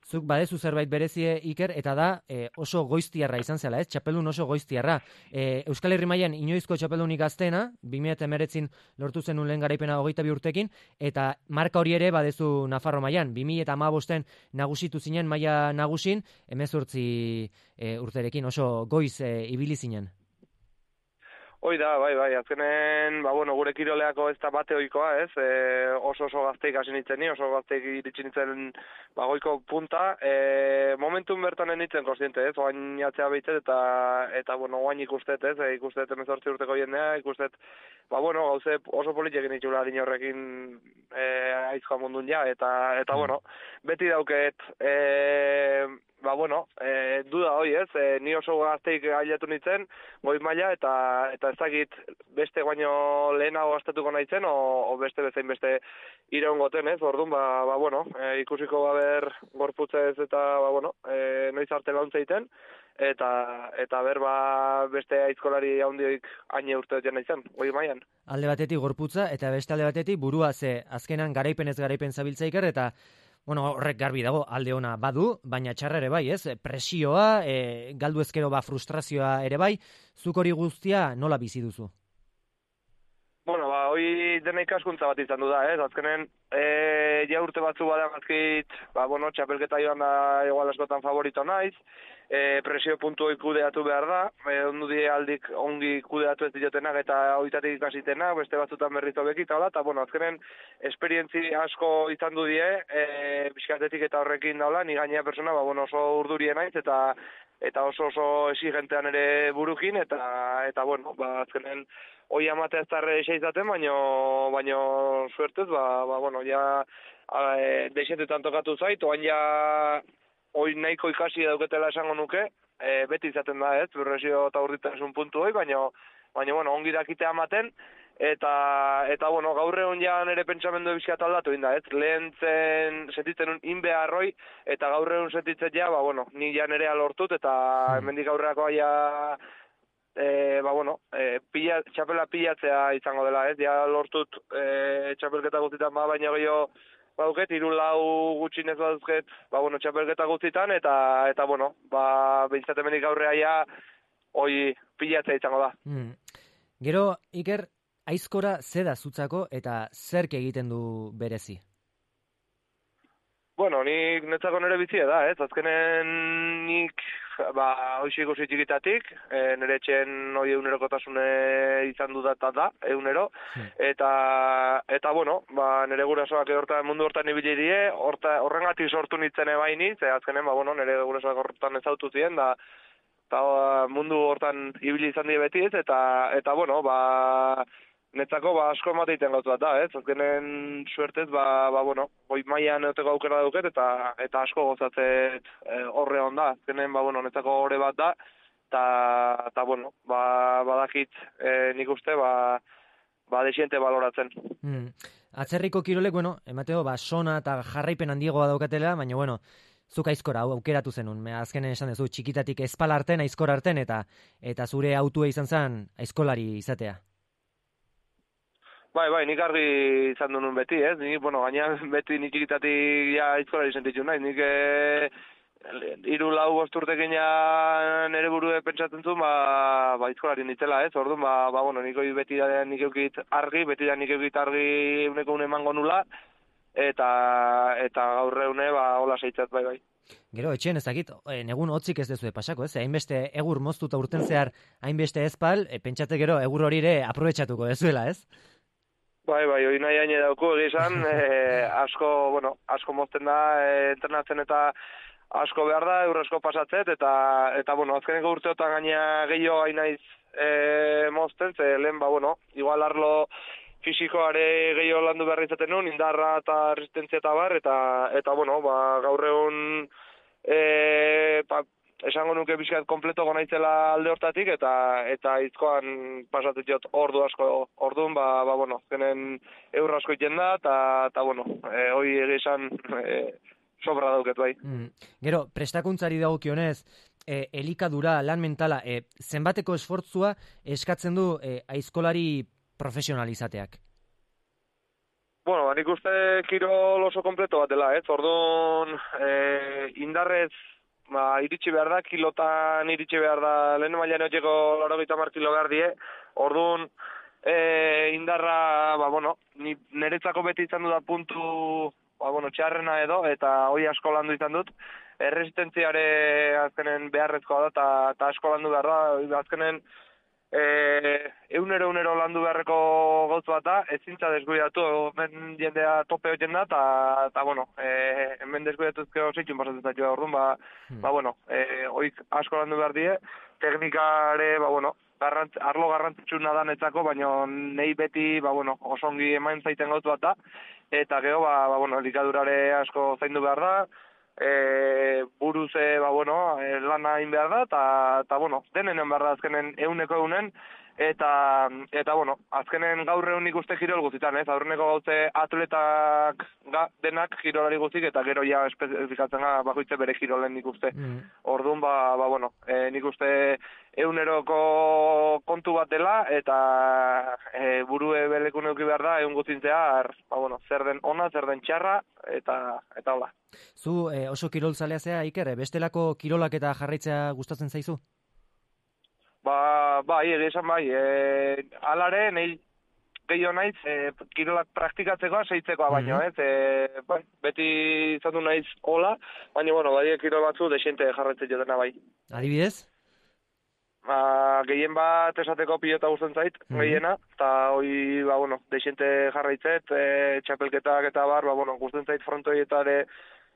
Zuk badezu zerbait berezie, Iker, eta da e, oso goiztiarra izan zela, ez? Txapeldun oso goiztiarra. E, Euskal Herri mailan inoizko txapeldunik gazteena, bi mila hemeretzin lortu zenun lehen garaipena hogeita bi urtekin, eta marka hori ere badezu Nafarro mailan, bi mila hamabosten nagusitu zinen maila nagusin, hemezortzi e, urterekin oso goiz e, ibili zinen. Hoi da, bai, bai, azkenen, ba, bueno, gure kiroleako ez da bate oikoa, ez, e, oso oso gazteik hasi nintzen ni, oso gazteik iritsi nintzen ba, goiko punta, e, momentun bertan nintzen konstiente, ez, oain atzea behitzet, eta, eta, bueno, oain ikustet, ez, e, ikustet emezortzi urteko jendea, ikustet, ba, bueno, gauze oso politxekin itxula din horrekin e, aizkoa mundun ja, eta, eta, bueno, beti dauket, e, ba, bueno, e, duda hoi, ez, e, ni oso gazteik ailatu nintzen, goi maila, eta, eta ezagit beste baino lehenago gastatuko nahitzen, o, o beste bezain beste iraun goten, ez, orduan, ba, ba bueno, e, ikusiko baber gorputzez eta, ba, bueno, e, noiz arte launtza egiten, eta, eta ber, ba, beste aizkolari handioik haine urte dut nahitzen, goi mailan. Alde batetik gorputza, eta beste alde batetik burua, ze azkenan garaipen ez garaipen zabiltza Iker, eta bueno, horrek garbi dago, alde ona badu, baina txarra ere bai, ez? Presioa, e, galdu ezkero ba frustrazioa ere bai, zuk hori guztia nola bizi duzu? Bueno, ba, hoi dena ikaskuntza bat izan du da, ez? Azkenen, e, ja urte batzu bada mazkit, ba, bueno, txapelketa joan da igual askotan favorito naiz, e, presio puntu hoi kudeatu behar da, e, ondu die aldik ongi kudeatu ez diotenak eta hoitatik ikasitenak, beste batzutan berrizo bekita, eta, bueno, azkenen, esperientzi asko izan du die, e, bizkatetik eta horrekin daula, ni gainea persona, ba, bueno, oso urdurien naiz, eta eta oso oso exigentean ere burukin, eta, eta bueno, ba, azkenen, hoi amatea ez darre izaten, baino, baino suertez, ba, ba, bueno, ja, e, deixetetan tokatu zait, oan ja, hoi nahiko ikasi dauketela esango nuke, e, beti izaten da, ez, berresio eta urditasun puntu hoi, baino, baino, bueno, ongi dakitea ematen, eta, eta, bueno, gaur egun ja nire pentsamendu ebizkiat aldatu inda, ez, lehen zen, sentitzen un inbeharroi, eta gaur egun sentitzen ja, ba, bueno, ni ja nerea lortut, eta hemendik aurreako ja, e, ba, bueno, e, pila, txapela pilatzea izango dela, ez, ja lortut e, txapelketa guztitan, ba, baina gehiago, bauket, hiru lau gutxinez baduzket, ba, bueno, txapelketa guztitan, eta, eta bueno, ba, behintzat hemenik aurrea ja, hoi pilatzea izango da. Hmm. Gero, Iker, aizkora zeda zutzako eta zerk egiten du berezi? Bueno, nik netzako nire bizia da, ez? Azkenen nik, ba, hoxi ikusi txikitatik, e, nire etxen hoi egunerokotasune izan dudata da, egunero, eta, eta bueno, ba, nire gurasoak hortan, mundu hortan ibili die, horta, horrengatik sortu nintzen ebaini, ze azkenen, ba, bueno, nire gurasoak hortan ezautu ziren, da, eta mundu hortan ibili izan die beti ez, eta, eta bueno, ba, netzako ba, asko emateiten gautu bat da, ez? Azkenen suertez, ba, ba, bueno, goi mailan euteko aukera duket, eta, eta asko gozatzet e, horre hon da. Azkenen, ba, bueno, netzako horre bat da, eta, eta bueno, ba, badakit e, nik uste, ba, ba, desiente baloratzen. Hmm. Atzerriko kirolek, bueno, emateo, ba, sona eta jarraipen handiagoa daukatela, baina, bueno, zuk aizkora aukeratu zenun, azkenen esan duzu, txikitatik espal arten, aizkor arten, eta eta zure autua izan zen aizkolari izatea. Bai, bai, nik argi izan duen beti, ez? Nik, bueno, gaina beti nik ikitatik ja aizkolari sentitu nahi. Nik e, iru lau bosturtekin ja nere burue pentsatzen zuen, ba, ba aizkolari nitzela, ez? Orduan, ba, ba, bueno, nik beti da nik eukit argi, beti da nik eukit argi uneko une emango nula, eta eta gaur eune ba hola seitzat bai bai. Gero etxean ezagit, e, negun hotzik ez dezue pasako, ez? Hainbeste egur moztuta urten zehar, hainbeste ezpal, e, pentsate gero egur hori ere aprobetxatuko dezuela, ez? Bai, bai, hori nahi haine dauku egizan, e, asko, bueno, asko mozten da, e, entrenatzen eta asko behar da, eur asko pasatzet, eta, eta bueno, azkeneko urteotan gaina gehiago hain naiz e, mozten, ze lehen, ba, bueno, igual arlo fisikoare gehiago landu behar izaten nuen, indarra eta resistentzia eta bar, eta, eta bueno, ba, gaur egun, e, pa, esango nuke bizkat kompleto gonaitzela alde hortatik, eta eta izkoan pasatzen jot ordu asko, orduan, ba, ba bueno, genen eur asko iten da, eta, eta bueno, e, hoi egizan e, sobra dauket bai. Mm. Gero, prestakuntzari dagokionez, e, elikadura, lan mentala, e, zenbateko esfortzua eskatzen du e, aizkolari profesionalizateak? Bueno, nik uste kirol oso kompleto bat dela, ez? Orduan, e, indarrez, ba, iritsi behar da, kilotan iritsi behar da, lehen mailan eotxeko laurogeita hamar kilo behar die, orduan, e, indarra, ba, bueno, ni, niretzako beti izan du da puntu, ba, bueno, txarrena edo, eta hoi asko landu izan dut, erresistentziare azkenen beharrezkoa da, eta, eta asko landu behar da, azkenen, E, eunero eunero landu beharreko gauz bat da, ezintza desguidatu, hemen jendea tope hoiten da, eta, bueno, e, hemen desguidatuzkeo zeitxun pasatzen zaitua orduan, ba, hmm. ba, bueno, e, oik asko landu behar die, teknikare, ba, bueno, garrantz, arlo garrantzitsuna da netzako, baina nei beti, ba, bueno, osongi emain zaiten gauz bat da, eta gero, ba, ba, bueno, elikadurare asko zaindu behar da, E, buruze, ba, bueno, e, lana hain behar da, eta, eta bueno, denenen behar da azkenen euneko eunen, eta, eta bueno, azkenen gaur egun ikuste kirol guztitan, ez? Aurreneko gauze atletak ga, denak kirolari guztik, eta gero ja espezifikatzen ga bakoitze bere kirolen ikuste. Mm. Orduan, ba, ba, bueno, e, nik uste euneroko kontu bat dela, eta e, burue belekun euki behar da, egun guztintzea, ba, bueno, zer den ona, zer den txarra, eta, eta hola. Zu eh, oso kirolzalea zea, Iker, bestelako kirolak eta jarraitzea gustatzen zaizu? Ba, bai, egizan bai, e, alare, nahi gehiago naiz, e, kirolak praktikatzekoa, seitzekoa baino, mm-hmm. ez, e, bai, beti izatu naiz hola, baina, bueno, bai, kirol batzu desiente jarraitzen jodena bai. Adibidez? Ba, gehien bat esateko pilota guzten zait, mm-hmm. gehiena, eta hoi, ba, bueno, desiente jarraitzet, e, txapelketak eta bar, ba, bueno, guzten zait frontoietare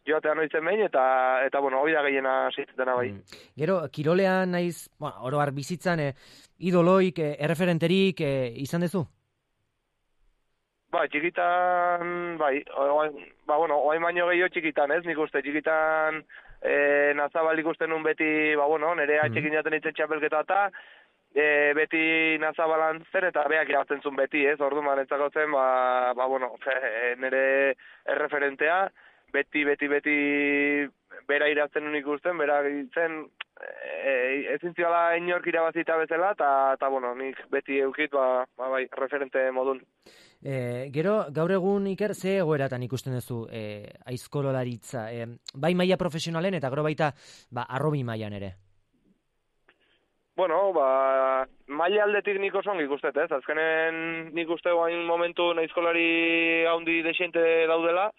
joatean oitzen behin, eta, eta bueno, hori da gehiena zeitzetena bai. Mm. Gero, kirolean naiz, bueno, oroar bizitzan, eh, idoloik, eh, erreferenterik eh, izan dezu? Ba, txikitan, bai, oain, ba, bueno, oain baino gehiago txikitan, ez, nik uste, txikitan e, nazabal ikusten nun beti, ba, bueno, nire mm. atxekin jaten itzen txapelketa eta, e, beti nazabalan zen, eta beak irabazten zuen beti, ez, ordu manetzako zen, ba, ba, bueno, nire erreferentea, beti, beti, beti bera irazten nun ikusten, bera zen e, ezin ziola inork irabazita bezala, eta, bueno, nik beti eukit, ba, ba, bai, referente modun. E, gero, gaur egun, Iker, ze egoeratan ikusten duzu e, aizkololaritza? E, bai maila profesionalen eta gero baita ba, arrobi mailan ere? Bueno, ba, maila aldetik nik oso ongi ikustet, ez? Azkenen nik uste guain momentu aizkolari haundi desiente daudela,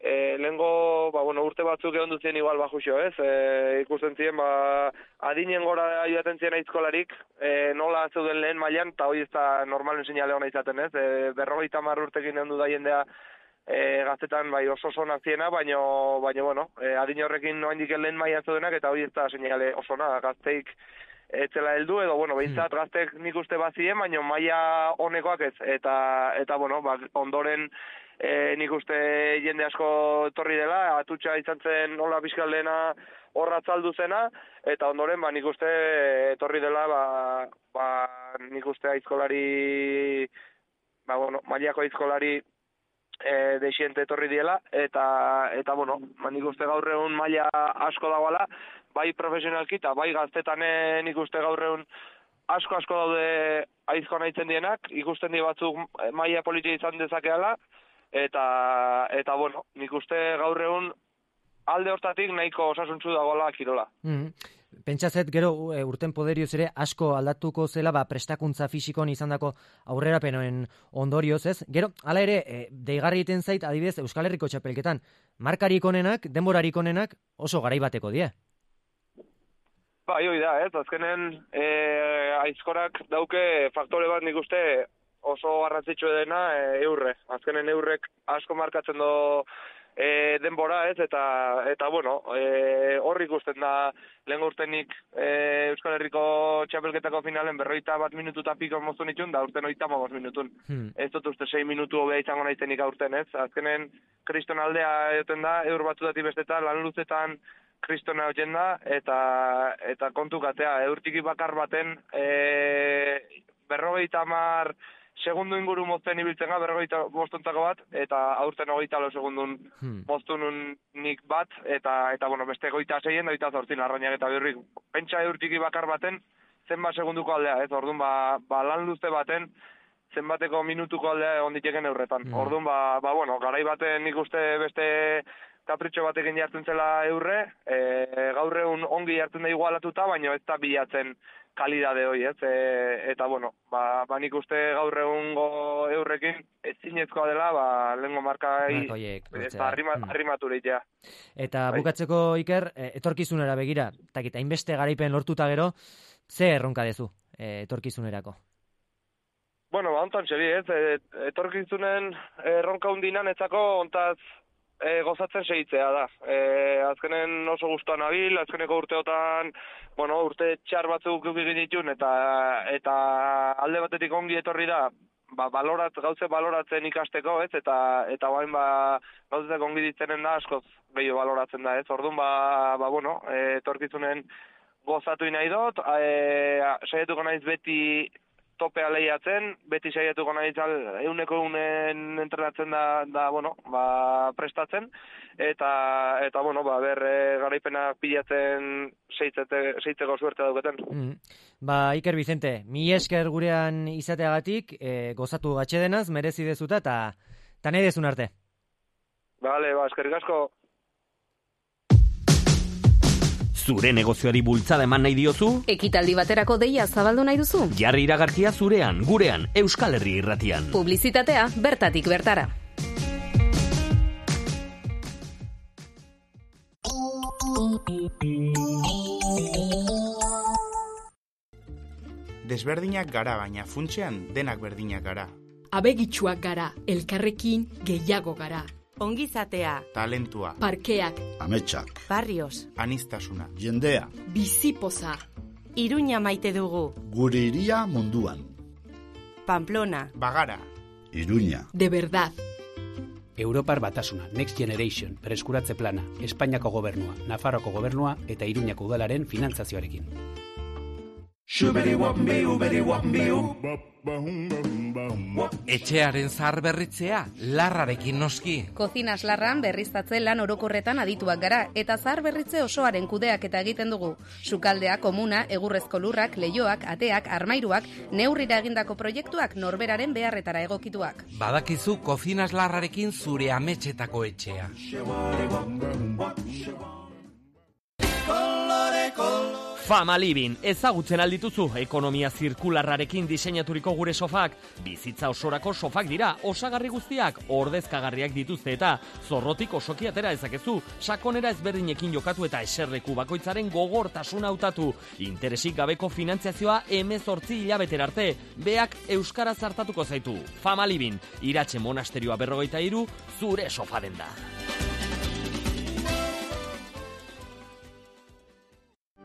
E, lehengo, ba, bueno, urte batzuk egon duzien igual bajuxo, ez? E, ikusten ziren, ba, adinen gora joaten ziren aizkolarik, e, nola zeuden lehen mailan, eta hori ez da normalen seinale hona izaten, ez? E, berrogeita hamar urtekin egon du da jendea e, gaztetan bai oso zonak ziena, baina, baina, bueno, e, adin horrekin noaindik lehen mailan zeudenak, eta hori ez da seinale osona, gazteik etzela heldu, edo, bueno, behintzat gaztek nik uste bazien, baina maila honekoak ez, eta, eta bueno, ba, ondoren, E, nik uste jende asko etorri dela, atutxa izan zen nola bizkaldena horra tzaldu zena, eta ondoren ba, nik uste etorri dela, ba, ba, nik uste aizkolari, ba, bueno, mailako aizkolari e, desiente etorri diela, eta, eta bueno, ba, nik uste gaur egun maila asko dagoela, bai profesionalki eta bai gaztetan nik uste gaur egun asko asko daude aizko nahitzen dienak, ikusten di batzuk maila politia izan dezakeala, Eta, eta bueno, nik uste gaur egun alde hortatik nahiko osasuntsu dagoela kirola. Mm. Pentsatzet gero urten poderioz ere asko aldatuko zela ba, prestakuntza fisikon izandako aurrerapenoen ondorioz, ez? Gero, hala ere, e, deigarri egiten zait adibidez Euskal Herriko txapelketan, markarik onenak, denborarik onenak oso garaibateko die. Bai, hoi da, ez? Azkenen e, aizkorak dauke faktore bat nik uste oso garrantzitsu dena e, eurre. Azkenen eurrek asko markatzen do E, denbora, ez, eta, eta bueno, e, hor ikusten da lehen urtenik e, Euskal Herriko txapelketako finalen berroita bat minutu eta piko moztu nitun, da urten oita magos minutun. Hmm. Ez dut uste sei minutu hobea izango naizenik aurten, ez? Azkenen kriston aldea egoten da, eur batzuetatik bestetan, lan luzetan kristona hotzen da, eta, eta kontu katea, eurtiki bakar baten e, berrogeita hamar segundu inguru mozten ibiltzen ga, berrogeita bostuntako bat, eta aurten hogeita lo segundun hmm. moztunun nik bat, eta, eta bueno, beste goita zeien, doita zortzin arrainak eta birrik. Pentsa eurtiki bakar baten, zenbat segunduko aldea, ez? Orduan, ba, ba lan luze baten, zenbateko minutuko aldea egon diteken eurretan. Hmm. Orduan, ba, ba, bueno, garai baten nik uste beste kapritxo batekin jartzen zela eurre, e, gaur egun ongi jartzen da igualatuta, baina ez da bilatzen kalidade hoi, ez? E, eta, bueno, ba, ba nik uste gaur egungo eurrekin ez zinezkoa dela, ba, lehenko markai eta arrimaturitea. Eta bai. Bukatzeko, Iker, etorkizunera begira, takita, hainbeste garaipen lortuta gero, ze erronka dezu e, etorkizunerako? Bueno, ba, ontan txeri, ez? Etorkizunen erronka hundinan etzako ontaz E, gozatzen segitzea da. E, azkenen oso gustuan nabil, azkeneko urteotan, bueno, urte txar batzuk egin ditun, eta, eta alde batetik ongi etorri da, ba, balorat, gauze baloratzen ikasteko, ez, eta, eta bain, ba, gauzek ongi ditzenen da, askoz gehiago baloratzen da, ez, orduan, ba, ba bueno, e, etorkizunen gozatu nahi dut, e, saietuko naiz beti topea lehiatzen, beti saiatuko nahi zal, euneko eunen entrenatzen da, da bueno, ba, prestatzen, eta, eta bueno, ba, ber, e, garaipenak pilatzen seitzeko suerte dauketen. Mm. Ba, Iker Vicente, mi esker gurean izateagatik, e, gozatu gatxedenaz, merezi dezuta, eta ta nahi dezun arte. Bale, ba, eskerrik asko. Zure negozioari bultzada eman nahi diozu? Ekitaldi baterako deia zabaldu nahi duzu? Jarri iragarkia zurean, gurean, Euskal Herri Irratian. Publizitatea bertatik bertara. Desberdinak gara, baina funtsean denak berdinak gara. Abegitsuak gara, elkarrekin gehiago gara. Ongizatea, talentua, parkeak, ametsak, barrios, anistasuna, jendea, bizipoza, Iruña maite dugu, gure iria munduan, Pamplona, Bagara, Iruña, de verdad. Europar Batasuna, Next Generation, Preskuratze Plana, Espainiako Gobernua, Nafarroko Gobernua eta Iruñako Udalaren finantzazioarekin. Etxearen zahar berritzea, larrarekin noski. Kozinas larran berriztatze lan orokorretan adituak gara, eta zahar berritze osoaren kudeak eta egiten dugu. Sukaldea, komuna, egurrezko lurrak, leioak, ateak, armairuak, neurrira egindako proiektuak norberaren beharretara egokituak. Badakizu kozinas larrarekin zure ametxetako etxea. Fama Living, ezagutzen aldituzu, ekonomia zirkularrarekin diseinaturiko gure sofak. Bizitza osorako sofak dira, osagarri guztiak, ordezkagarriak dituzte eta zorrotik osoki atera ezakezu, sakonera ezberdinekin jokatu eta eserleku bakoitzaren gogortasun hautatu. Interesik gabeko finantziazioa hemezortzi hilabetera arte, beak euskaraz hartatuko zaitu. Fama Living, Iratxe monasterioa berrogeita hiru, zure sofa denda.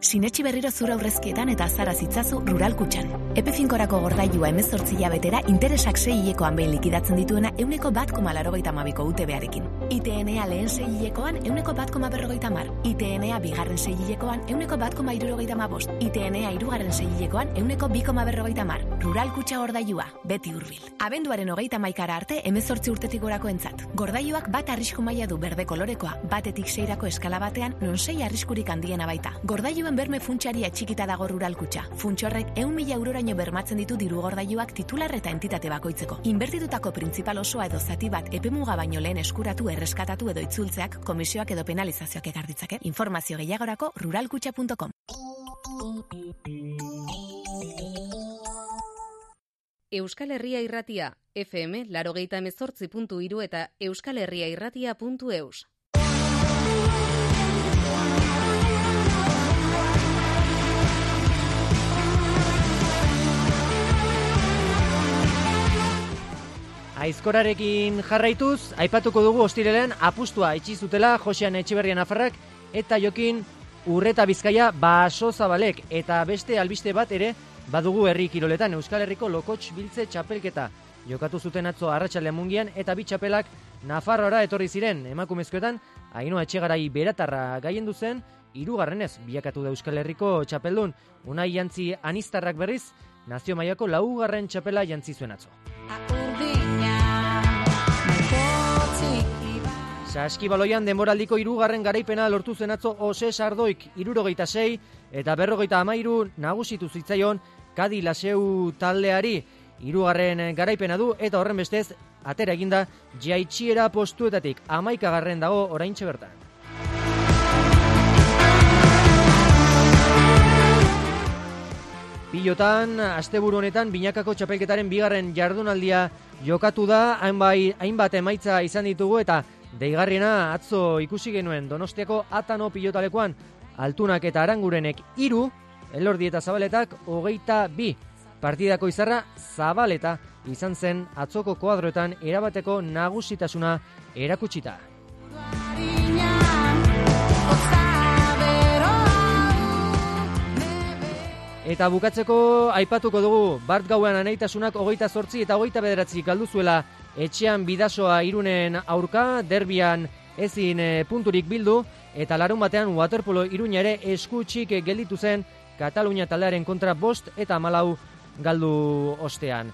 Sinetxi berriro zura aurrezkietan eta azara zitzazu Rural Kutxan. Epe finkorako gordailua hemezortzi hilabetera interesak sei hilekoan behin likidatzen dituena euneko bat koma laurogeita hamabiko U T B-arekin. I T N A lehen sei hilekoan euneko bat koma berrogeita hamar. I T N A bigarren sei hilekoan euneko bat koma hirurogeita hamabost. I T N A hirugarren sei hilekoan euneko bi koma berrogeita hamar. Rural Kutxa gordailua, beti hurbil. Abenduaren hogeita hamaikara arte hemezortzi urtetik gorako entzat. Gordailuak bat arrisku maila du berde kolorekoa, batetik seirako eskala batean non sei arriskurik handiena baita. Gordailu Gordailuan berme funtsari atxikita dago Ruralkutxa. Funtsorrek ehun mila euroraino bermatzen ditu diru gordailuak titular eta entitate bakoitzeko. Inbertitutako printzipal osoa edo zati bat epemuga baino lehen eskuratu, erreskatatu edo itzultzeak komisioak edo penalizazioak ekar ditzake. Informazio gehiagorako ruralkutxa puntu com. Euskal Herria Irratia, F M laurogeita hemezortzi puntu hiru eta euskalherriairratia puntu eus. Aizkorarekin jarraituz, aipatuko dugu ostirelen apustua itxi zutela Josean Etxeberria Nafarrak eta Jokin Urreta Bizkaia Baso Zabalek, eta beste albiste bat ere badugu herri kiroletan. Euskal Herriko Lokotx Biltze txapelketa jokatu zuten atzo arratsaldean Mungian, eta bi txapelak Nafarroara etorri ziren. Emakumezkoetan Ainhoa Etxegarai Beratarra gaiendu zen, hirugarrenez bilakatu da Euskal Herriko txapeldun. Unai Jantzi Anistarrak berriz nazio mailako laugarren txapela jantzi zuen atzo. Saskibaloian denboraldiko hirugarren garaipena lortu zen atzo Ose Sardoik hirurogeita sei eta berrogeita hamairu nagusitu zitzaion Kadi Laseu taldeari. Hirugarren garaipena du eta horren bestez atera eginda jaitxiera postuetatik hamaikagarren dago oraintxe bertan. Pilotan, asteburu honetan binakako txapelketaren bigarren jardunaldia jokatu da, hainbat, hainbat emaitza izan ditugu eta deigarriena atzo ikusi genuen Donostiako Atano pilotalekoan. Altunak eta Arangurenek hiru, Elordi eta Zabaletak hogeita bi. Partidako izarra Zabaleta izan zen atzoko koadroetan erabateko nagusitasuna erakutsita. Eta bukatzeko aipatuko dugu Bart Gauean aneitasunak hogeita zortzi eta hogeita bederatzi galdu zuela etxean Bidasoa Irunen aurka, derbian ezin punturik bildu, eta larun batean waterpolo Iruña ere eskutxik gelditu zen Katalunia taldearen kontra bost eta malau galdu ostean.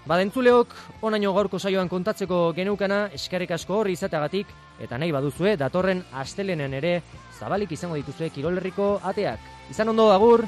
Badentzuleok, onaino gaurko saioan kontatzeko geneukana, eskerrik asko horri izateagatik, eta nahi baduzue, datorren astelenen ere zabalik izango dituzue Kirol Herriko ateak. Izan ondo, agur!